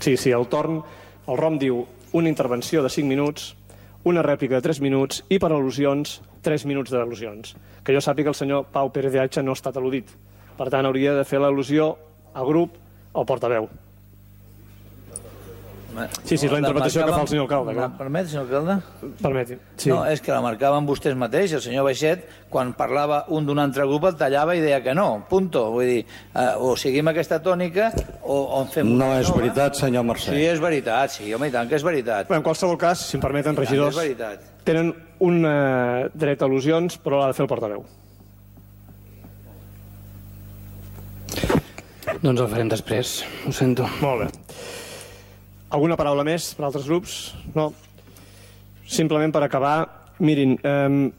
Sí, sí, el torn, el ROM diu una intervenció de cinc minuts, una rèplica de tres minuts i per al·lusions, tres minuts d'al·lusions. Que jo sàpiga el senyor Pau Pérez de Aixa no ha estat al·ludit. Per tant, hauria de fer l'al·lusió al grup al portaveu. Sí, sí, és la interpretació que fa el senyor alcalde. La permet, senyor alcalde? Permeti. Sí. No, és que la marcaven vostès mateix. El senyor Baixet, quan parlava un d'un altre grup, el tallava i deia que no. Punto. Vull dir, eh, o seguim aquesta tònica o, o en fem... No és veritat, senyor Mercè. Sí, és veritat, sí, home, i tant que és veritat. Bé, en qualsevol cas, si em permeten, regidors, és veritat. tenen un eh, dret a al·lusions, però l'ha de fer el portaveu. Doncs el farem després, ho sento. Molt bé. Alguna paraula més per altres grups? No. Simplement per acabar, mirin, eh,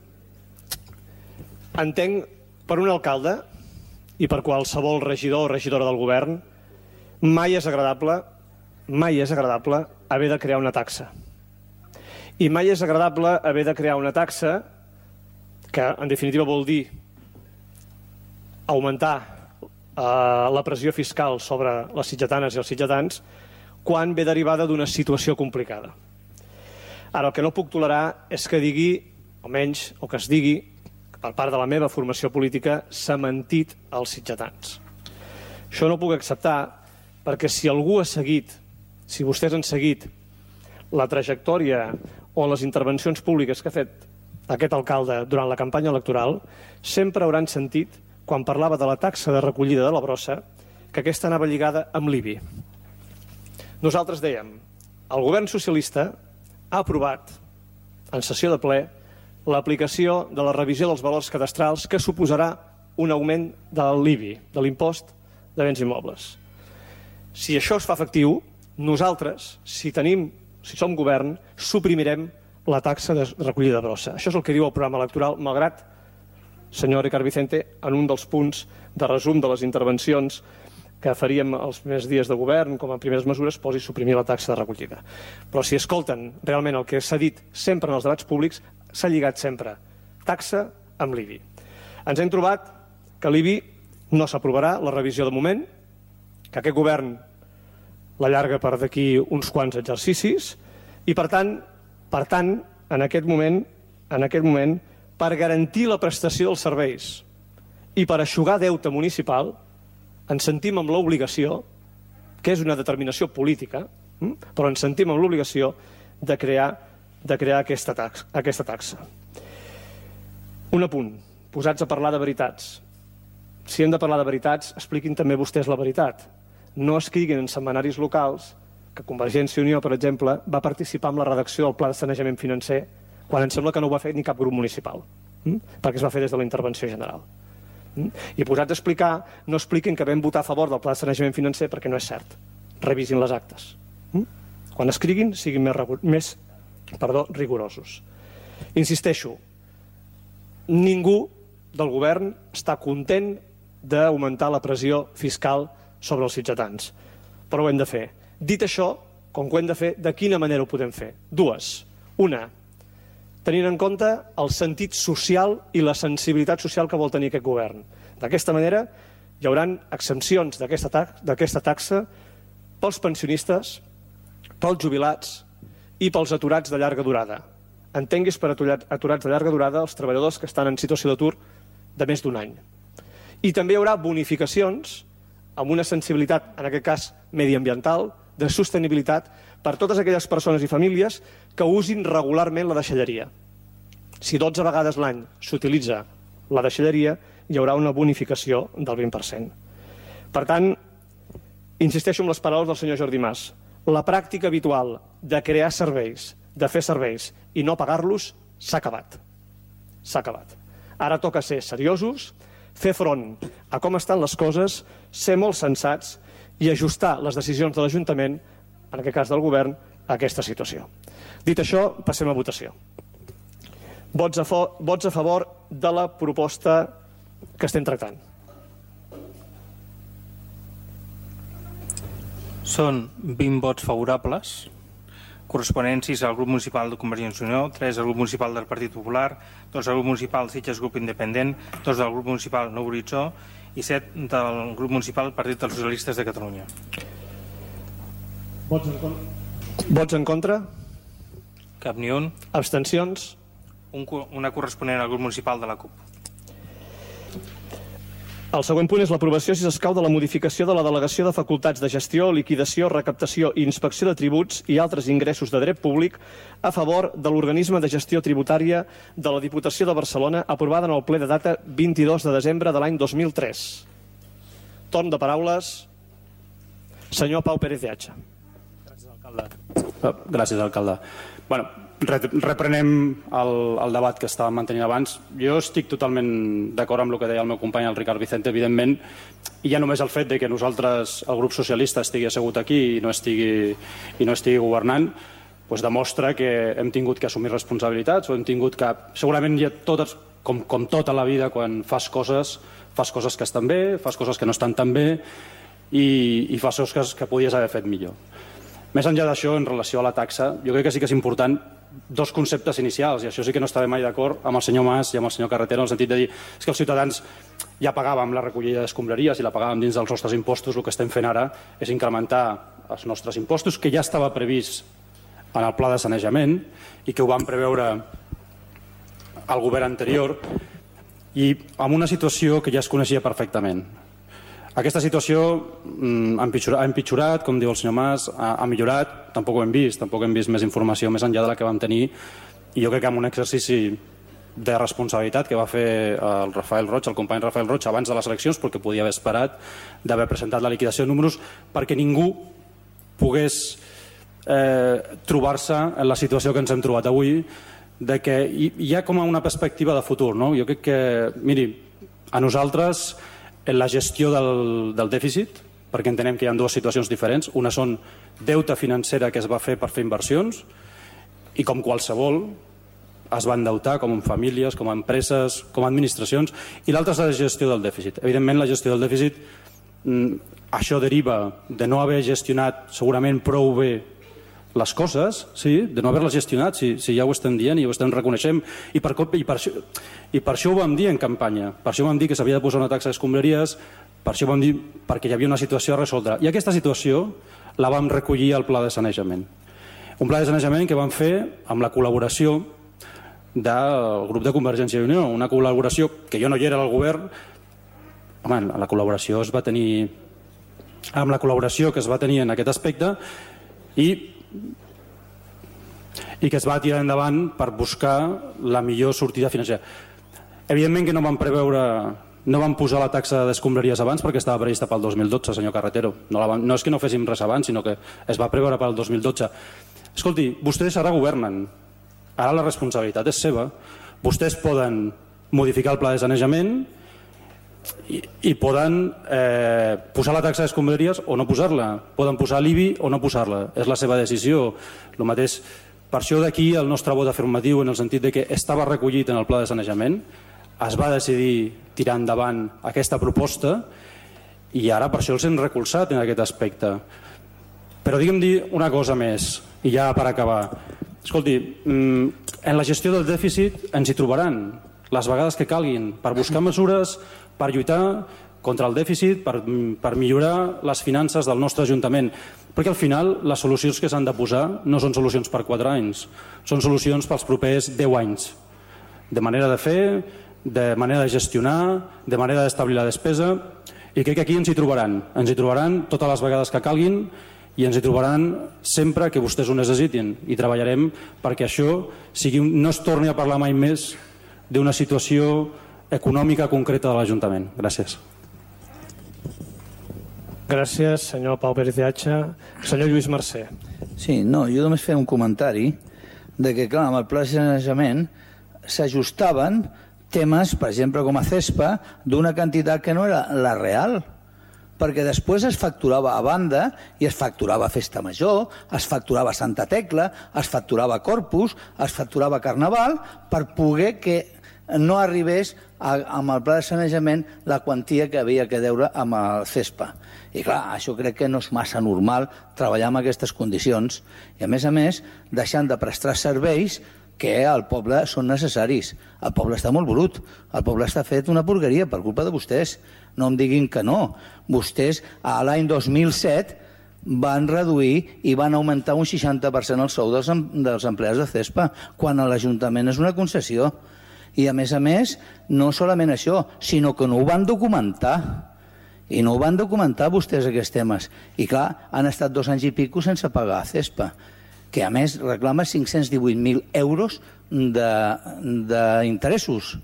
entenc per un alcalde i per qualsevol regidor o regidora del govern, mai és agradable, mai és agradable haver de crear una taxa. I mai és agradable haver de crear una taxa que, en definitiva, vol dir augmentar eh, la pressió fiscal sobre les sitgetanes i els sitgetans quan ve derivada d'una situació complicada. Ara, el que no puc tolerar és que digui, almenys, o que es digui, que per part de la meva formació política s'ha mentit als sitgetans. Això no ho puc acceptar perquè si algú ha seguit, si vostès han seguit la trajectòria o les intervencions públiques que ha fet aquest alcalde durant la campanya electoral, sempre hauran sentit, quan parlava de la taxa de recollida de la brossa, que aquesta anava lligada amb l'I B I. Nosaltres dèiem, el govern socialista ha aprovat en sessió de ple l'aplicació de la revisió dels valors cadastrals que suposarà un augment de l'I B I, de l'impost de béns immobles. Si això es fa efectiu, nosaltres, si tenim, si som govern, suprimirem la taxa de recollida de brossa. Això és el que diu el programa electoral, malgrat, senyor Ricard Vicente, en un dels punts de resum de les intervencions que faríem els primers dies de govern, com a primeres mesures, posi suprimir la taxa de recollida. Però si escolten realment el que s'ha dit sempre en els debats públics, s'ha lligat sempre taxa amb l'I B I. Ens hem trobat que l'I B I no s'aprovarà, la revisió de moment, que aquest govern l'allarga per d'aquí uns quants exercicis i, per tant, per tant, en aquest moment, en aquest moment, per garantir la prestació dels serveis i per eixugar deute municipal, ens sentim amb l'obligació, que és una determinació política, però ens sentim amb l'obligació de crear, de crear aquesta taxa, aquesta taxa. Un apunt, posats a parlar de veritats. Si hem de parlar de veritats, expliquin també vostès la veritat. No escriguin en setmanaris locals que Convergència i Unió, per exemple, va participar en la redacció del Pla de Sanejament Financer quan em sembla que no ho va fer ni cap grup municipal, perquè es va fer des de la intervenció general. I posats a explicar, no expliquin que vam votar a favor del Pla de Sanejament Financer perquè no és cert. Revisin les actes. Quan escriguin, siguin més, més perdó, rigorosos. Insisteixo, ningú del govern està content d'augmentar la pressió fiscal sobre els sitgetans, però ho hem de fer. Dit això, com que ho hem de fer, de quina manera ho podem fer? Dues. Una, tenint en compte el sentit social i la sensibilitat social que vol tenir aquest govern. D'aquesta manera, hi haurà exempcions d'aquesta taxa pels pensionistes, pels jubilats i pels aturats de llarga durada. Entenguis per aturats de llarga durada els treballadors que estan en situació d'atur de més d'un any. I també hi haurà bonificacions amb una sensibilitat, en aquest cas mediambiental, de sostenibilitat, per totes aquelles persones i famílies que usin regularment la deixalleria. Si dotze vegades l'any s'utilitza la deixalleria, hi haurà una bonificació del vint per cent. Per tant, insisteixo en les paraules del senyor Jordi Mas. La pràctica habitual de crear serveis, de fer serveis i no pagar-los, s'ha acabat. S'ha acabat. Ara toca ser seriosos, fer front a com estan les coses, ser molt sensats i ajustar les decisions de l'Ajuntament, en aquest cas del govern, a aquesta situació. Dit això, passem a votació. Vots a, vots a favor de la proposta que estem tractant. Són vint vots favorables, corresponents sis al grup municipal de Convergència i Unió, tres al grup municipal del Partit Popular, dos al grup municipal Sitges Grup Independent, dos del grup municipal Nou Horitzó i set del grup municipal Partit dels Socialistes de Catalunya. Vots en contra? Vots en contra? Cap ni un. Abstencions? Un, una corresponent al grup municipal de la CUP. El següent punt és l'aprovació, si s'escau, de la modificació de la delegació de facultats de gestió, liquidació, recaptació i inspecció de tributs i altres ingressos de dret públic a favor de l'organisme de gestió tributària de la Diputació de Barcelona, aprovada en el ple de data vint-i-dos de desembre de l'any dos mil tres. Torn de paraules, senyor Pau Pérez de Hacha. Gràcies, alcalde. Gràcies, alcalde. Bueno, reprenem el, el debat que estàvem mantenint abans. Jo estic totalment d'acord amb el que deia el meu company, el Ricard Vicente, evidentment, i ja només el fet de que nosaltres, el grup socialista, estigui assegut aquí i no estigui, i no estigui governant, doncs demostra que hem tingut que assumir responsabilitats o hem tingut que... Segurament hi ha totes, com, com tota la vida, quan fas coses, fas coses que estan bé, fas coses que no estan tan bé i, i fas coses que podies haver fet millor. Més enllà d'això, en relació a la taxa, jo crec que sí que és important dos conceptes inicials, i això sí que no estava mai d'acord amb el senyor Mas i amb el senyor Carretero, en el sentit de dir és que els ciutadans ja pagàvem la recollida d'escombraries i la pagàvem dins dels nostres impostos, el que estem fent ara és incrementar els nostres impostos, que ja estava previst en el pla de sanejament i que ho vam preveure el govern anterior, i amb una situació que ja es coneixia perfectament. Aquesta situació ha empitjorat, ha empitjorat, com diu el senyor Mas, ha, ha millorat, tampoc ho hem vist, tampoc hem vist més informació més enllà de la que vam tenir, i jo crec que amb un exercici de responsabilitat que va fer el Rafael Roig, el company Rafael Roig, abans de les eleccions, perquè podia haver esperat d'haver presentat la liquidació de números perquè ningú pogués eh, trobar-se en la situació que ens hem trobat avui, de que hi ha com una perspectiva de futur, no? Jo crec que, miri, a nosaltres en la gestió del, del dèficit, perquè entenem que hi ha dues situacions diferents, una són deute financera que es va fer per fer inversions i com qualsevol es va endeutar com en famílies, com a empreses, com a administracions, i l'altra és la gestió del dèficit. Evidentment la gestió del dèficit, això deriva de no haver gestionat segurament prou bé les coses, sí, de no haver-les gestionat, si, si ja ho estem dient i ho estem reconeixem, i per, i, per això, i per això ho vam dir en campanya, per això vam dir que s'havia de posar una taxa d'escombraries, per això ho vam dir perquè hi havia una situació a resoldre, i aquesta situació la vam recollir al pla de sanejament. Un pla de sanejament que vam fer amb la col·laboració del grup de Convergència i Unió, una col·laboració que jo no hi era al govern. Home, la col·laboració es va tenir amb la col·laboració que es va tenir en aquest aspecte i i que es va tirar endavant per buscar la millor sortida financera. Evidentment que no vam preveure, no vam posar la taxa d'escombraries abans perquè estava prevista pel dos mil dotze, senyor Carretero. No, la vam, no és que no féssim res abans, sinó que es va preveure pel dos mil dotze. Escolti, vostès ara governen, ara la responsabilitat és seva. Vostès poden modificar el pla de sanejament i, i poden eh, posar la taxa d'escombraries o no posar-la, poden posar l'I B I o no posar-la, és la seva decisió. El mateix, per això d'aquí el nostre vot afirmatiu en el sentit de que estava recollit en el pla de sanejament, es va decidir tirar endavant aquesta proposta i ara per això els hem recolzat en aquest aspecte. Però digue'm dir una cosa més i ja per acabar. Escolti, en la gestió del dèficit ens hi trobaran les vegades que calguin per buscar mesures per lluitar contra el dèficit, per, per millorar les finances del nostre Ajuntament. Perquè al final les solucions que s'han de posar no són solucions per quatre anys, són solucions pels propers deu anys. De manera de fer, de manera de gestionar, de manera d'establir la despesa, i crec que aquí ens hi trobaran. Ens hi trobaran totes les vegades que calguin i ens hi trobaran sempre que vostès ho necessitin i treballarem perquè això sigui, no es torni a parlar mai més d'una situació econòmica concreta de l'Ajuntament. Gràcies. Gràcies, senyor Pau Pérez de Hacha. Senyor Lluís Mercè. Sí, no, jo només feia un comentari de que, clar, amb el pla de sanejament s'ajustaven temes, per exemple, com a CESPA, d'una quantitat que no era la real, perquè després es facturava a banda i es facturava Festa Major, es facturava Santa Tecla, es facturava Corpus, es facturava Carnaval, per poder que no arribés a, amb el pla de sanejament la quantia que havia que deure amb el CESPA. I clar, això crec que no és massa normal treballar en aquestes condicions i a més a més deixant de prestar serveis que al poble són necessaris. El poble està molt brut, el poble està fet una porqueria per culpa de vostès. No em diguin que no. Vostès a l'any dos mil set van reduir i van augmentar un seixanta per cent el sou dels, dels empleats de CESPA, quan a l'Ajuntament és una concessió. I a més a més, no solament això, sinó que no ho van documentar. I no ho van documentar vostès aquests temes. I clar, han estat dos anys i pico sense pagar a CESPA, que a més reclama cinc-cents divuit mil euros d'interessos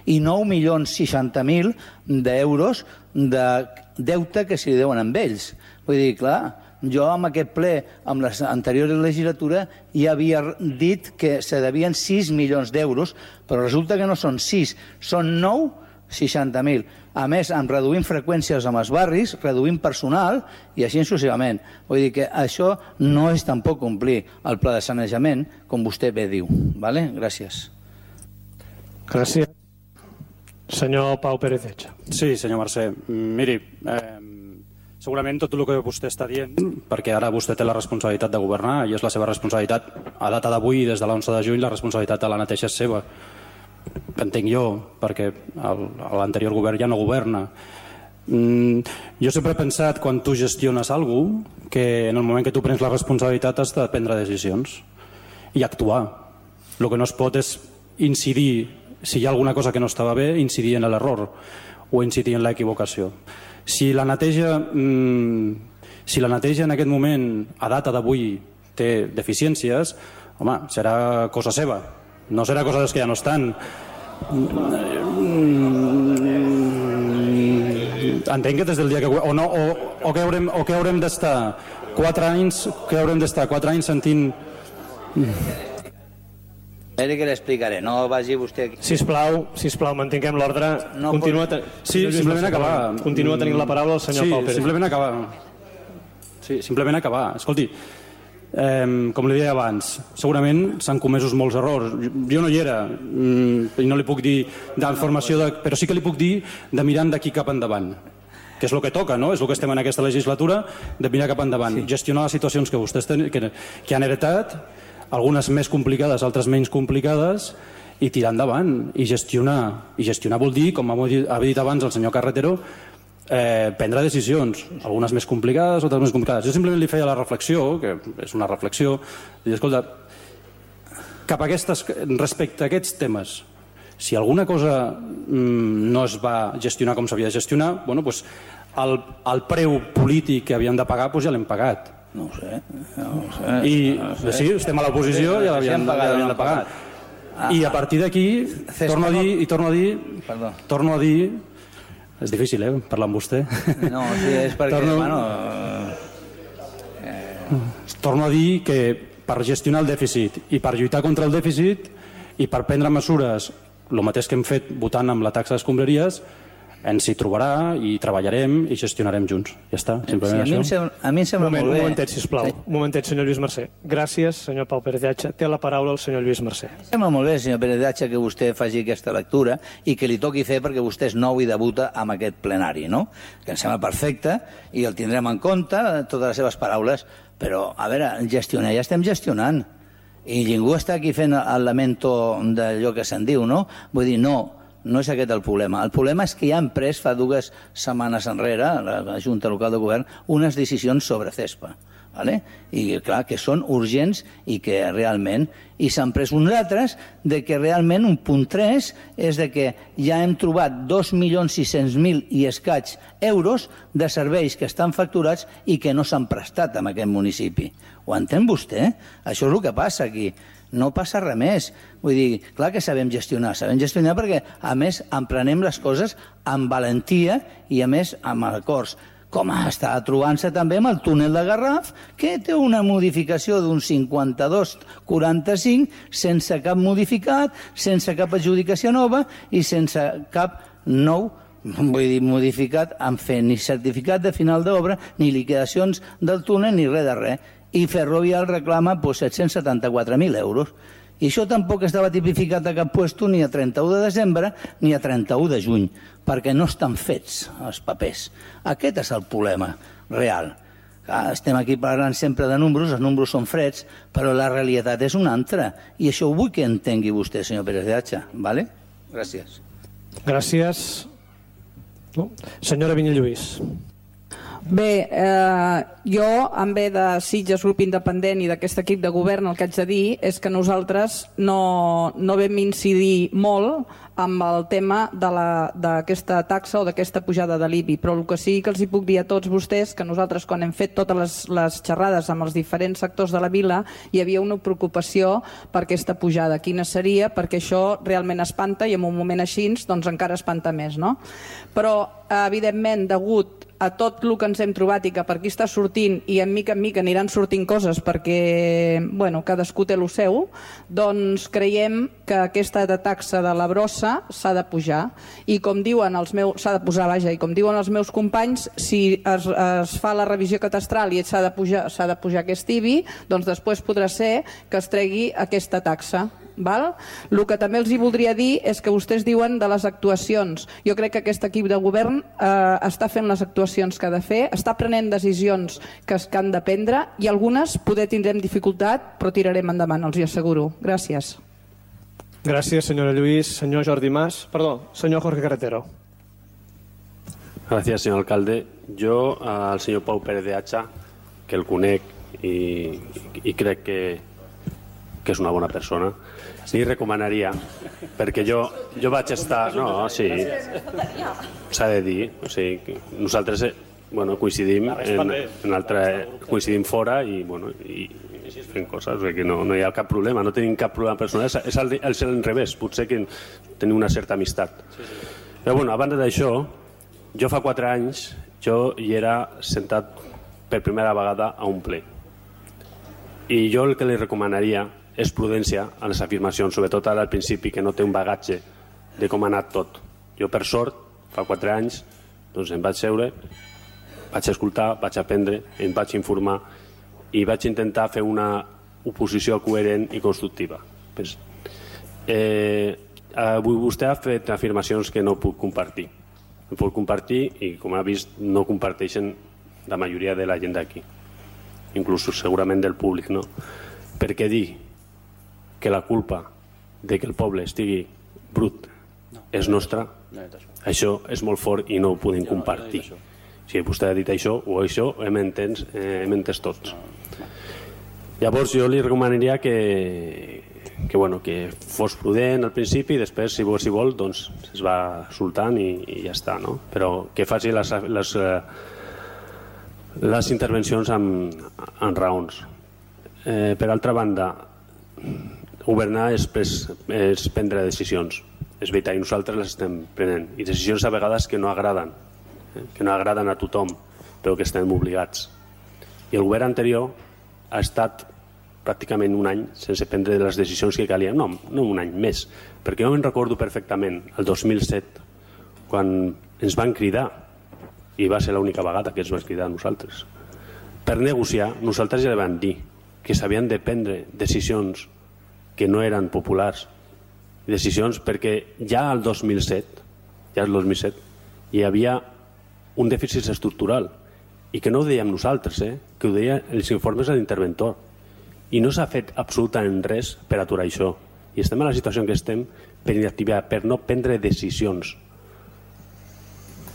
i nou milions seixanta mil d'euros de deute que s'hi deuen amb ells. Vull dir, clar, jo amb aquest ple, amb l'anterior legislatura, ja havia dit que se devien sis milions d'euros, però resulta que no són sis, són nou, seixanta mil. A més, en reduint freqüències amb els barris, reduint personal i així successivament. Vull dir que això no és tampoc complir el pla de sanejament, com vostè bé diu. Vale? Gràcies. Gràcies. Senyor Pau Pérez Echa. Sí, senyor Mercè. Miri, eh, segurament tot el que vostè està dient, perquè ara vostè té la responsabilitat de governar i és la seva responsabilitat, a data d'avui, des de l'onze de juny, la responsabilitat de la neteja és seva. Entenc jo, perquè l'anterior govern ja no governa. Mm, jo sempre he pensat, quan tu gestiones alguna cosa, que en el moment que tu prens la responsabilitat has de prendre decisions i actuar. El que no es pot és incidir, si hi ha alguna cosa que no estava bé, incidir en l'error o incidir en l'equivocació. Si la neteja, mm, si la neteja en aquest moment, a data d'avui, té deficiències, home, serà cosa seva. No serà cosa dels que ja no estan. entenc que des del dia que... O, no, o, o que haurem, o que haurem d'estar quatre anys, que haurem d'estar quatre anys sentint... Esperi que l'explicaré, no vagi vostè... Sisplau, sisplau, mantinguem l'ordre. No Continua pot- ten... Sí, simplement acabar. Continua tenint la paraula el senyor sí, Pau Pérez. simplement acabar. Sí, simplement acabar. Escolti, eh, com li deia abans, segurament s'han comesos molts errors. Jo no hi era, mm, i no li puc dir d'informació, de... però sí que li puc dir de mirant d'aquí cap endavant, que és el que toca, no? És el que estem en aquesta legislatura, de mirar cap endavant. Sí. Gestionar les situacions que vostès ten... que, que han heretat, algunes més complicades, altres menys complicades, i tirar endavant, i gestionar. I gestionar vol dir, com ha dit abans el senyor Carretero, eh, prendre decisions, algunes més complicades, altres més complicades. Jo simplement li feia la reflexió, que és una reflexió, i escolta, cap a aquestes, respecte a aquests temes, si alguna cosa mm, no es va gestionar com s'havia de gestionar, bueno, pues, el, el preu polític que havíem de pagar pues, ja l'hem pagat. No ho sé. No ho sé. I no ho sé. sí, estem a l'oposició i ja l'havíem pagat, de pagar. I a partir d'aquí, torno a dir, i torno a dir, Perdó. torno a dir, és difícil, eh, parlar amb vostè. No, sí, és perquè, torno, bueno... Eh... Torno a dir que per gestionar el dèficit i per lluitar contra el dèficit i per prendre mesures, el mateix que hem fet votant amb la taxa d'escombraries, ens hi trobarà i treballarem i gestionarem junts. Ja està, simplement sí, a, mi això. sembla, a mi em sembla moment, molt bé. Un momentet, sisplau. Sí. Un momentet, senyor Lluís Mercè. Gràcies, senyor Pau Pérez de Atxa. Té la paraula el senyor Lluís Mercè. Em sembla molt bé, senyor Pérez de Atxa, que vostè faci aquesta lectura i que li toqui fer perquè vostè és nou i debuta amb aquest plenari, no? Que em sembla perfecte i el tindrem en compte, totes les seves paraules, però, a veure, gestionar, ja estem gestionant. I ningú està aquí fent el lamento d'allò que se'n diu, no? Vull dir, no, no és aquest el problema. El problema és que ja han pres fa dues setmanes enrere, la Junta Local de Govern, unes decisions sobre CESPA. Vale? I clar, que són urgents i que realment, i s'han pres uns altres de que realment un punt tres és de que ja hem trobat dos milions sis-cents mil i escaig euros de serveis que estan facturats i que no s'han prestat en aquest municipi. Ho entén vostè? Això és el que passa aquí. No passa res més. Vull dir, clar que sabem gestionar, sabem gestionar perquè a més emprenem les coses amb valentia i a més amb acords. Com està trobant-se també amb el túnel de Garraf, que té una modificació d'un cinquanta-dos coma quaranta-cinc sense cap modificat, sense cap adjudicació nova i sense cap nou, vull dir, modificat en fer ni certificat de final d'obra, ni liquidacions del túnel, ni res de res. I Ferrovial reclama pues, set-cents setanta-quatre mil euros. I això tampoc estava tipificat a cap puesto ni a trenta-u de desembre ni a trenta-u de juny, perquè no estan fets els papers. Aquest és el problema real. Estem aquí parlant sempre de números, els números són freds, però la realitat és una altra. I això ho vull que entengui vostè, senyor Pérez de Atxa. Vale? Gràcies. Gràcies. No? Senyora Vinyalluís. Bé, eh, jo, en ve de Sitges, grup independent i d'aquest equip de govern, el que haig de dir és que nosaltres no, no vam incidir molt amb el tema d'aquesta taxa o d'aquesta pujada de l'I B I, però el que sí que els hi puc dir a tots vostès que nosaltres, quan hem fet totes les, les xerrades amb els diferents sectors de la vila, hi havia una preocupació per aquesta pujada. Quina seria? Perquè això realment espanta i en un moment així doncs encara espanta més, no? Però, evidentment, degut a tot el que ens hem trobat i que per aquí està sortint i en mica en mica aniran sortint coses perquè, bueno, cadascú té el seu, doncs creiem que aquesta taxa de la brossa s'ha de pujar i com diuen els meus, s'ha de posar, vaja, i com diuen els meus companys, si es, es fa la revisió catastral i s'ha de pujar, s'ha de pujar aquest I B I, doncs després podrà ser que es tregui aquesta taxa. Val? El que també els hi voldria dir és que vostès diuen de les actuacions. Jo crec que aquest equip de govern eh, està fent les actuacions que ha de fer, està prenent decisions que, es, que han de prendre i algunes poder tindrem dificultat, però tirarem endavant, els hi asseguro. Gràcies. Gràcies, senyora Lluís. Senyor Jordi Mas. Perdó, senyor Jorge Carretero. Gracias, señor alcalde. Yo al señor Pau Pérez de Atxa, que el conec i, i crec que, que és una bona persona, li recomanaria, perquè jo, jo vaig estar... No, sí, s'ha de dir. O sigui, nosaltres bueno, coincidim en, en altre, coincidim fora i, bueno, i, i fem coses, o sigui que no, no hi ha cap problema, no tenim cap problema personal, és al, és al revés, potser que tenim una certa amistat. Però bueno, a banda d'això, jo fa quatre anys jo hi era sentat per primera vegada a un ple. I jo el que li recomanaria és prudència a les afirmacions, sobretot ara al principi, que no té un bagatge de com ha anat tot. Jo, per sort, fa quatre anys, doncs em vaig seure, vaig escoltar, vaig aprendre, em vaig informar i vaig intentar fer una oposició coherent i constructiva. Pues, eh, avui vostè ha fet afirmacions que no puc compartir. No puc compartir i, com ha vist, no comparteixen la majoria de la gent d'aquí, inclús segurament del públic, no? Perquè dir que la culpa de que el poble estigui brut és nostra, això és molt fort i no ho podem compartir. Si vostè ha dit això o això, hem entès, eh, hem entès tots. Llavors jo li recomanaria que, que, bueno, que fos prudent al principi i després, si vol, si vol doncs es va soltant i, i ja està, no? Però que faci les, les, les intervencions amb, amb raons. Eh, per altra banda, governar és, és prendre decisions. És veritat, i nosaltres les estem prenent. I decisions a vegades que no agraden, eh? que no agraden a tothom, però que estem obligats. I el govern anterior ha estat pràcticament un any sense prendre les decisions que calien. No, no un any, més. Perquè jo me'n recordo perfectament, el dos mil set, quan ens van cridar, i va ser l'única vegada que ens van cridar a nosaltres, per negociar, nosaltres ja vam dir que s'havien de prendre decisions que no eren populars, decisions perquè ja al dos mil set, ja al dos mil set, hi havia un dèficit estructural, i que no ho dèiem nosaltres, eh? que ho deien els informes de l'interventor. I no s'ha fet absolutament res per aturar això. I estem en la situació en què estem per inactivar, per no prendre decisions.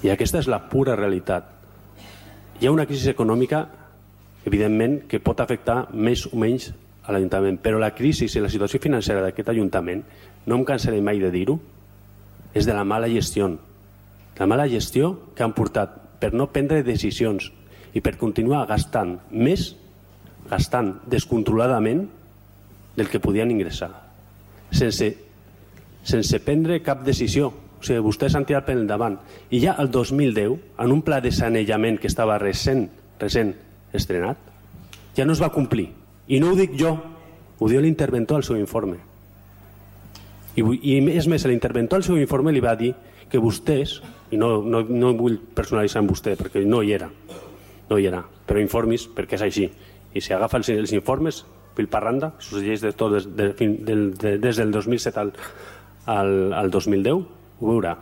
I aquesta és la pura realitat. Hi ha una crisi econòmica, evidentment, que pot afectar més o menys a l'Ajuntament, però la crisi i la situació financera d'aquest Ajuntament, no em cansaré mai de dir-ho, és de la mala gestió. La mala gestió que han portat per no prendre decisions i per continuar gastant més, gastant descontroladament del que podien ingressar, sense, sense prendre cap decisió. O sigui, vostès han tirat per endavant. I ja el dos mil deu, en un pla de sanejament que estava recent, recent estrenat, ja no es va complir. I no ho dic jo, ho diu l'interventor al seu informe. I, i és més, l'interventor al seu informe li va dir que vostès, i no, no, no vull personalitzar amb vostè perquè no hi era, no hi era, però informis perquè és així. I si agafa els, els informes, pilparranda, succeeix de tot des, de, de, de, des del dos mil set al, al, al dos mil deu, ho veurà.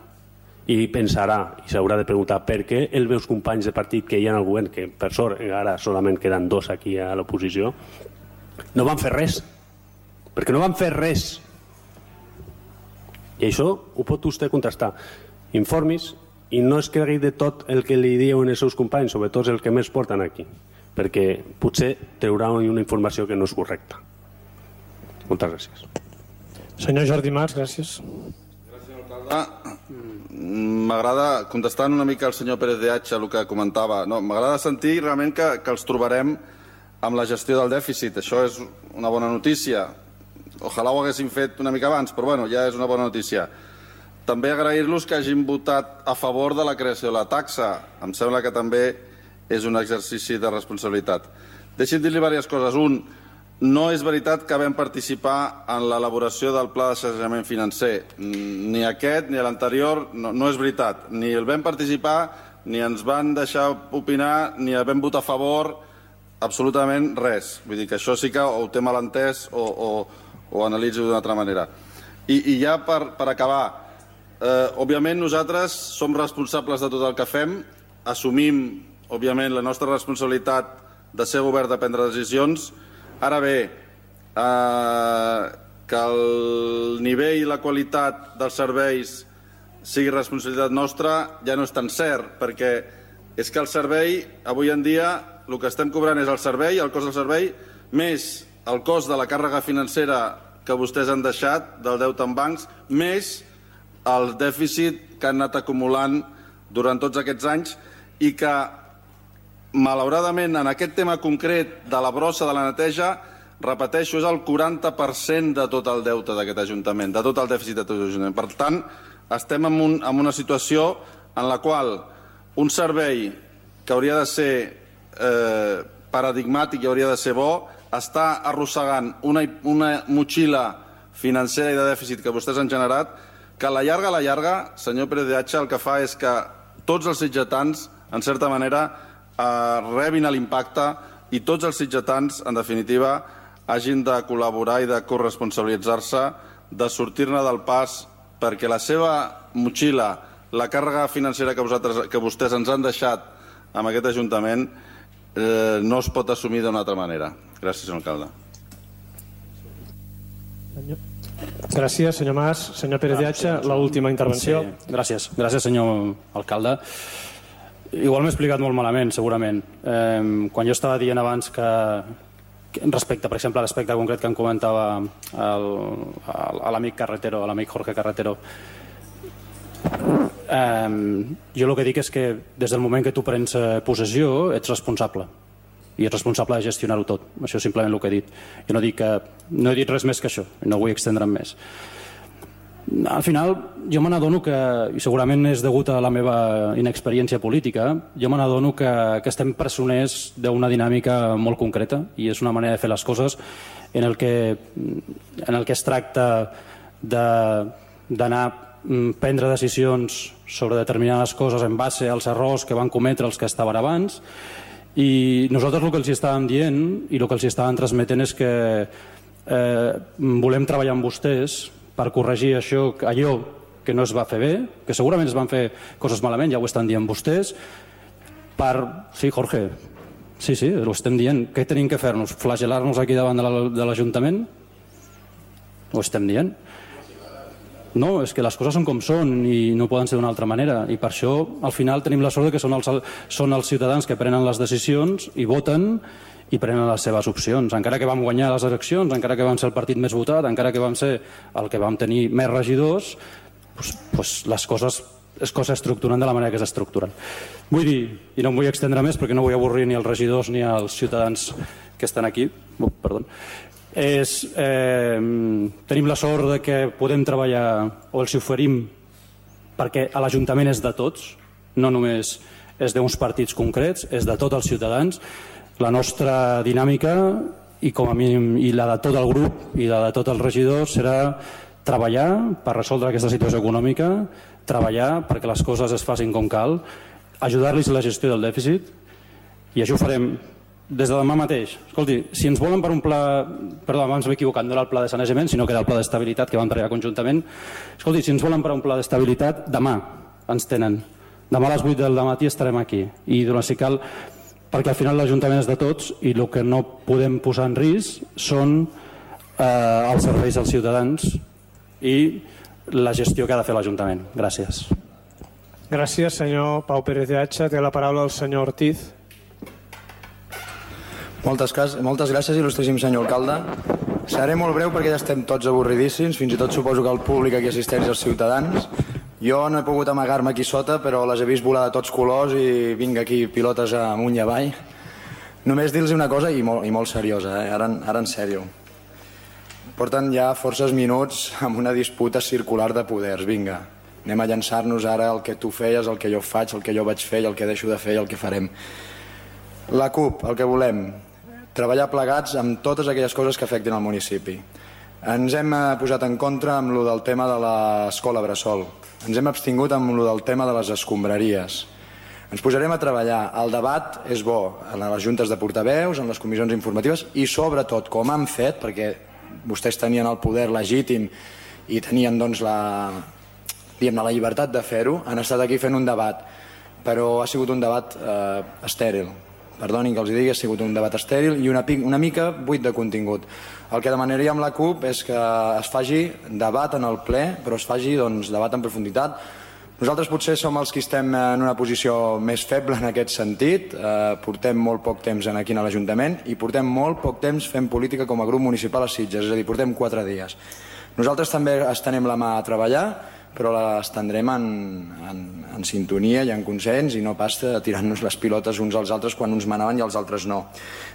I pensarà, i s'haurà de preguntar per què els meus companys de partit que hi ha al govern, que per sort ara solament queden dos aquí a l'oposició, no van fer res. Perquè no van fer res. I això ho pot vostè contrastar. Informis, i no es cregui de tot el que li diuen els seus companys, sobretot el que més porten aquí, perquè potser traurà una informació que no és correcta. Moltes gràcies. Senyor Jordi Mas, gràcies. Gràcies, alcalde. M'agrada, contestant una mica al senyor Pérez de Hacha el que comentava, no, m'agrada sentir realment que, que els trobarem amb la gestió del dèficit. Això és una bona notícia. Ojalà ho haguéssim fet una mica abans, però bueno, ja és una bona notícia. També agrair-los que hagin votat a favor de la creació de la taxa. Em sembla que també és un exercici de responsabilitat. Deixi'm dir-li diverses coses. Un, no és veritat que vam participar en l'elaboració del pla de sanejament financer. Ni aquest ni l'anterior, no, no és veritat. Ni el vam participar, ni ens van deixar opinar, ni el vam votar a favor, absolutament res. Vull dir que això sí que ho té mal entès o, o, o analitzo d'una altra manera. I, i ja per, per acabar, eh, òbviament nosaltres som responsables de tot el que fem, assumim, òbviament, la nostra responsabilitat de ser govern de prendre decisions. Ara bé, eh, que el nivell i la qualitat dels serveis sigui responsabilitat nostra ja no és tan cert, perquè és que el servei, avui en dia, el que estem cobrant és el servei, el cost del servei, més el cost de la càrrega financera que vostès han deixat, del deute en bancs, més el dèficit que han anat acumulant durant tots aquests anys i que, malauradament, en aquest tema concret de la brossa de la neteja, repeteixo, és el quaranta per cent de tot el deute d'aquest Ajuntament, de tot el dèficit de tot l'Ajuntament. Per tant, estem en, un, en una situació en la qual un servei que hauria de ser eh, paradigmàtic i hauria de ser bo, està arrossegant una, una motxilla financera i de dèficit que vostès han generat, que a la llarga, a la llarga, senyor Pérez de Hacha, el que fa és que tots els sitgetans, en certa manera, eh, rebin l'impacte i tots els sitgetans, en definitiva, hagin de col·laborar i de corresponsabilitzar-se de sortir-ne del pas, perquè la seva motxilla, la càrrega financera que, vosaltres, que vostès ens han deixat amb aquest Ajuntament, eh, no es pot assumir d'una altra manera. Gràcies, senyor alcalde. Gràcies, senyor Mas. Senyor Pérez de Hacha, l'última intervenció. Sí, gràcies. Gràcies, senyor alcalde. Igual m'he explicat molt malament, segurament. Eh, quan jo estava dient abans que, que respecte, per exemple, a l'aspecte concret que em comentava l'amic Carretero, l'amic Jorge Carretero, eh, jo el que dic és que des del moment que tu prens possessió ets responsable i ets responsable de gestionar-ho tot. Això és simplement el que he dit. Jo no, dic que, no he dit res més que això, no vull extendre'm més. Al final, jo me n'adono que, i segurament és degut a la meva inexperiència política, jo me n'adono que, que estem presoners d'una dinàmica molt concreta i és una manera de fer les coses en el que, en el que es tracta d'anar a prendre decisions sobre determinades coses en base als errors que van cometre els que estaven abans, i nosaltres el que els estàvem dient i el que els estàvem transmetent és que eh, volem treballar amb vostès per corregir això, allò que no es va fer bé, que segurament es van fer coses malament, ja ho estan dient vostès, per... Sí, Jorge, sí, sí, ho estem dient. Què tenim que fer-nos? Flagelar-nos aquí davant de l'Ajuntament? Ho estem dient? No, és que les coses són com són i no poden ser d'una altra manera, i per això al final tenim la sort que són els, són els ciutadans que prenen les decisions i voten i prenen les seves opcions. Encara que vam guanyar les eleccions, encara que vam ser el partit més votat, encara que vam ser el que vam tenir més regidors, doncs, doncs les coses es cosa estructuren de la manera que s'estructuren. Vull dir, i no em vull extendre més perquè no vull avorrir ni els regidors ni els ciutadans que estan aquí, oh, perdó, és, eh, tenim la sort de que podem treballar o els oferim perquè a l'Ajuntament és de tots, no només és d'uns partits concrets, és de tots els ciutadans. La nostra dinàmica i com a mínim i la de tot el grup i la de tots els regidors serà treballar per resoldre aquesta situació econòmica, treballar perquè les coses es facin com cal, ajudar-los a la gestió del dèficit, i això ho farem des de demà mateix. Escolti, si ens volen per un pla... Perdó, abans m'he equivocat, no era el pla de sanejament, sinó que era el pla d'estabilitat que vam treballar conjuntament. Escolti, si ens volen per un pla d'estabilitat, demà ens tenen. Demà a les vuit del matí estarem aquí. I durant si cal, perquè al final l'Ajuntament és de tots i el que no podem posar en risc són eh, els serveis als ciutadans i la gestió que ha de fer l'Ajuntament. Gràcies. Gràcies, senyor Pau Pérez de Hacha. Té la paraula el senyor Ortiz. Moltes, moltes gràcies, il·lustríssim senyor alcalde. Seré molt breu perquè ja estem tots avorridíssims, fins i tot suposo que el públic aquí assisteix als ciutadans. Jo no he pogut amagar-me aquí sota, però les he vist volar de tots colors i vinc aquí pilotes amunt i avall. Només dir-los una cosa, i molt, i molt seriosa, eh? ara, ara en sèrio. Porten ja forces minuts amb una disputa circular de poders. Vinga, anem a llançar-nos ara el que tu feies, el que jo faig, el que jo vaig fer, el que deixo de fer i el que farem. La CUP, el que volem, treballar plegats amb totes aquelles coses que afectin al municipi. Ens hem posat en contra amb el del tema de l'escola Bressol. Ens hem abstingut amb el del tema de les escombraries. Ens posarem a treballar. El debat és bo en les juntes de portaveus, en les comissions informatives i sobretot, com han fet, perquè vostès tenien el poder legítim i tenien doncs, la, diguem-ne, la llibertat de fer-ho, han estat aquí fent un debat, però ha sigut un debat eh, estèril. Perdonin que els digui, ha sigut un debat estèril i una, una mica buit de contingut. El que demanaria amb la CUP és que es faci debat en el ple, però es faci doncs, debat en profunditat. Nosaltres potser som els que estem en una posició més feble en aquest sentit, eh, portem molt poc temps aquí a l'Ajuntament i portem molt poc temps fent política com a grup municipal a Sitges, és a dir, portem quatre dies. Nosaltres també estenem la mà a treballar, però l'estendrem en, en, en sintonia i en consens i no pas tirant-nos les pilotes uns als altres quan uns manaven i els altres no.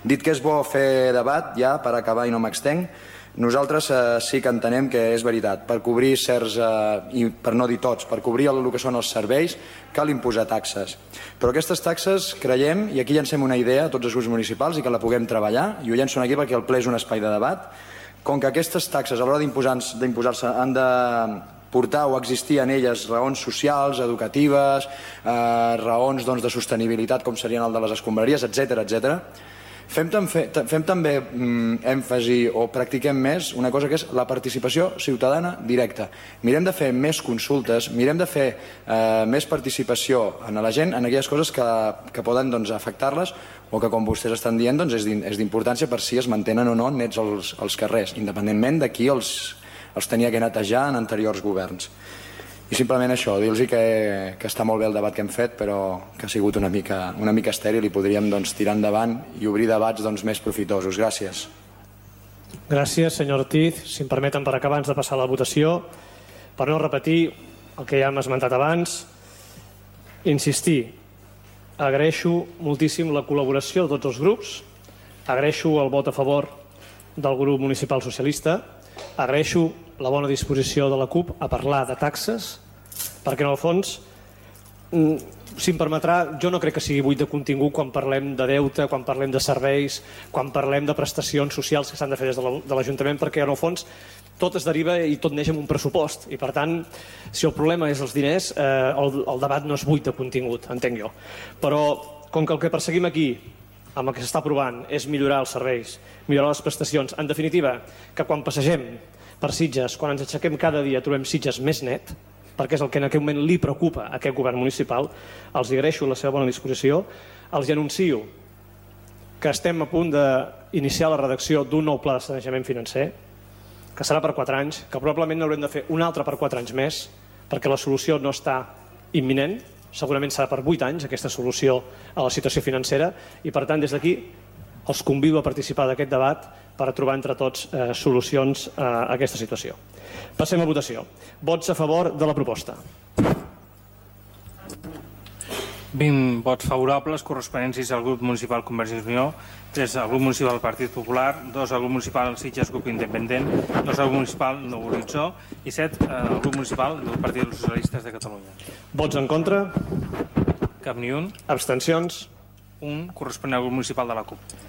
Dit que és bo fer debat, ja per acabar i no m'extenc, Nosaltres eh, sí que entenem que és veritat, per cobrir certs, eh, i per no dir tots, per cobrir el, el que són els serveis, cal imposar taxes. Però aquestes taxes creiem, i aquí llancem una idea a tots els grups municipals i que la puguem treballar, i ho llenço aquí perquè el ple és un espai de debat, com que aquestes taxes a l'hora d'imposar-se han de portar o existir en elles raons socials, educatives, eh, raons doncs, de sostenibilitat com serien el de les escombraries, etcètera, etcètera. Fem, fem també mm, èmfasi o practiquem més una cosa que és la participació ciutadana directa. Mirem de fer més consultes, mirem de fer eh, més participació en la gent en aquelles coses que, que poden doncs, afectar-les o que, com vostès estan dient, doncs, és d'importància per si es mantenen o no nets els, els carrers, independentment de qui els, els tenia que netejar en anteriors governs. I simplement això, dir-los que, que està molt bé el debat que hem fet, però que ha sigut una mica, una mica estèril i podríem doncs, tirar endavant i obrir debats doncs, més profitosos. Gràcies. Gràcies, senyor Ortiz. Si em permeten, per acabar, abans de passar a la votació, per no repetir el que ja hem esmentat abans, insistir, agraeixo moltíssim la col·laboració de tots els grups, agraeixo el vot a favor del grup municipal socialista, agraeixo la bona disposició de la CUP a parlar de taxes, perquè en el fons, si em permetrà, jo no crec que sigui buit de contingut quan parlem de deute, quan parlem de serveis, quan parlem de prestacions socials que s'han de fer des de l'Ajuntament, perquè en el fons tot es deriva i tot neix amb un pressupost. I per tant, si el problema és els diners, eh, el, el debat no és buit de contingut, entenc jo. Però com que el que perseguim aquí, amb el que s'està aprovant, és millorar els serveis, millorar les prestacions, en definitiva, que quan passegem per Sitges, quan ens aixequem cada dia trobem Sitges més net, perquè és el que en aquell moment li preocupa a aquest govern municipal, els agraeixo la seva bona disposició, els anuncio que estem a punt d'iniciar la redacció d'un nou pla de sanejament financer, que serà per quatre anys, que probablement n'haurem de fer un altre per quatre anys més, perquè la solució no està imminent, segurament serà per vuit anys aquesta solució a la situació financera, i per tant des d'aquí els convido a participar d'aquest debat per trobar entre tots eh, solucions a aquesta situació. Passem a votació. Vots a favor de la proposta. vint vots favorables, corresponents al grup municipal Convergència i Unió, tres al grup municipal Partit Popular, dos al grup municipal Sitges Grup Independent, dos al grup municipal Nou Horitzó i set al grup municipal del Partit dels Socialistes de Catalunya. Vots en contra? Cap ni un. Abstencions? Un, corresponent al grup municipal de la CUP.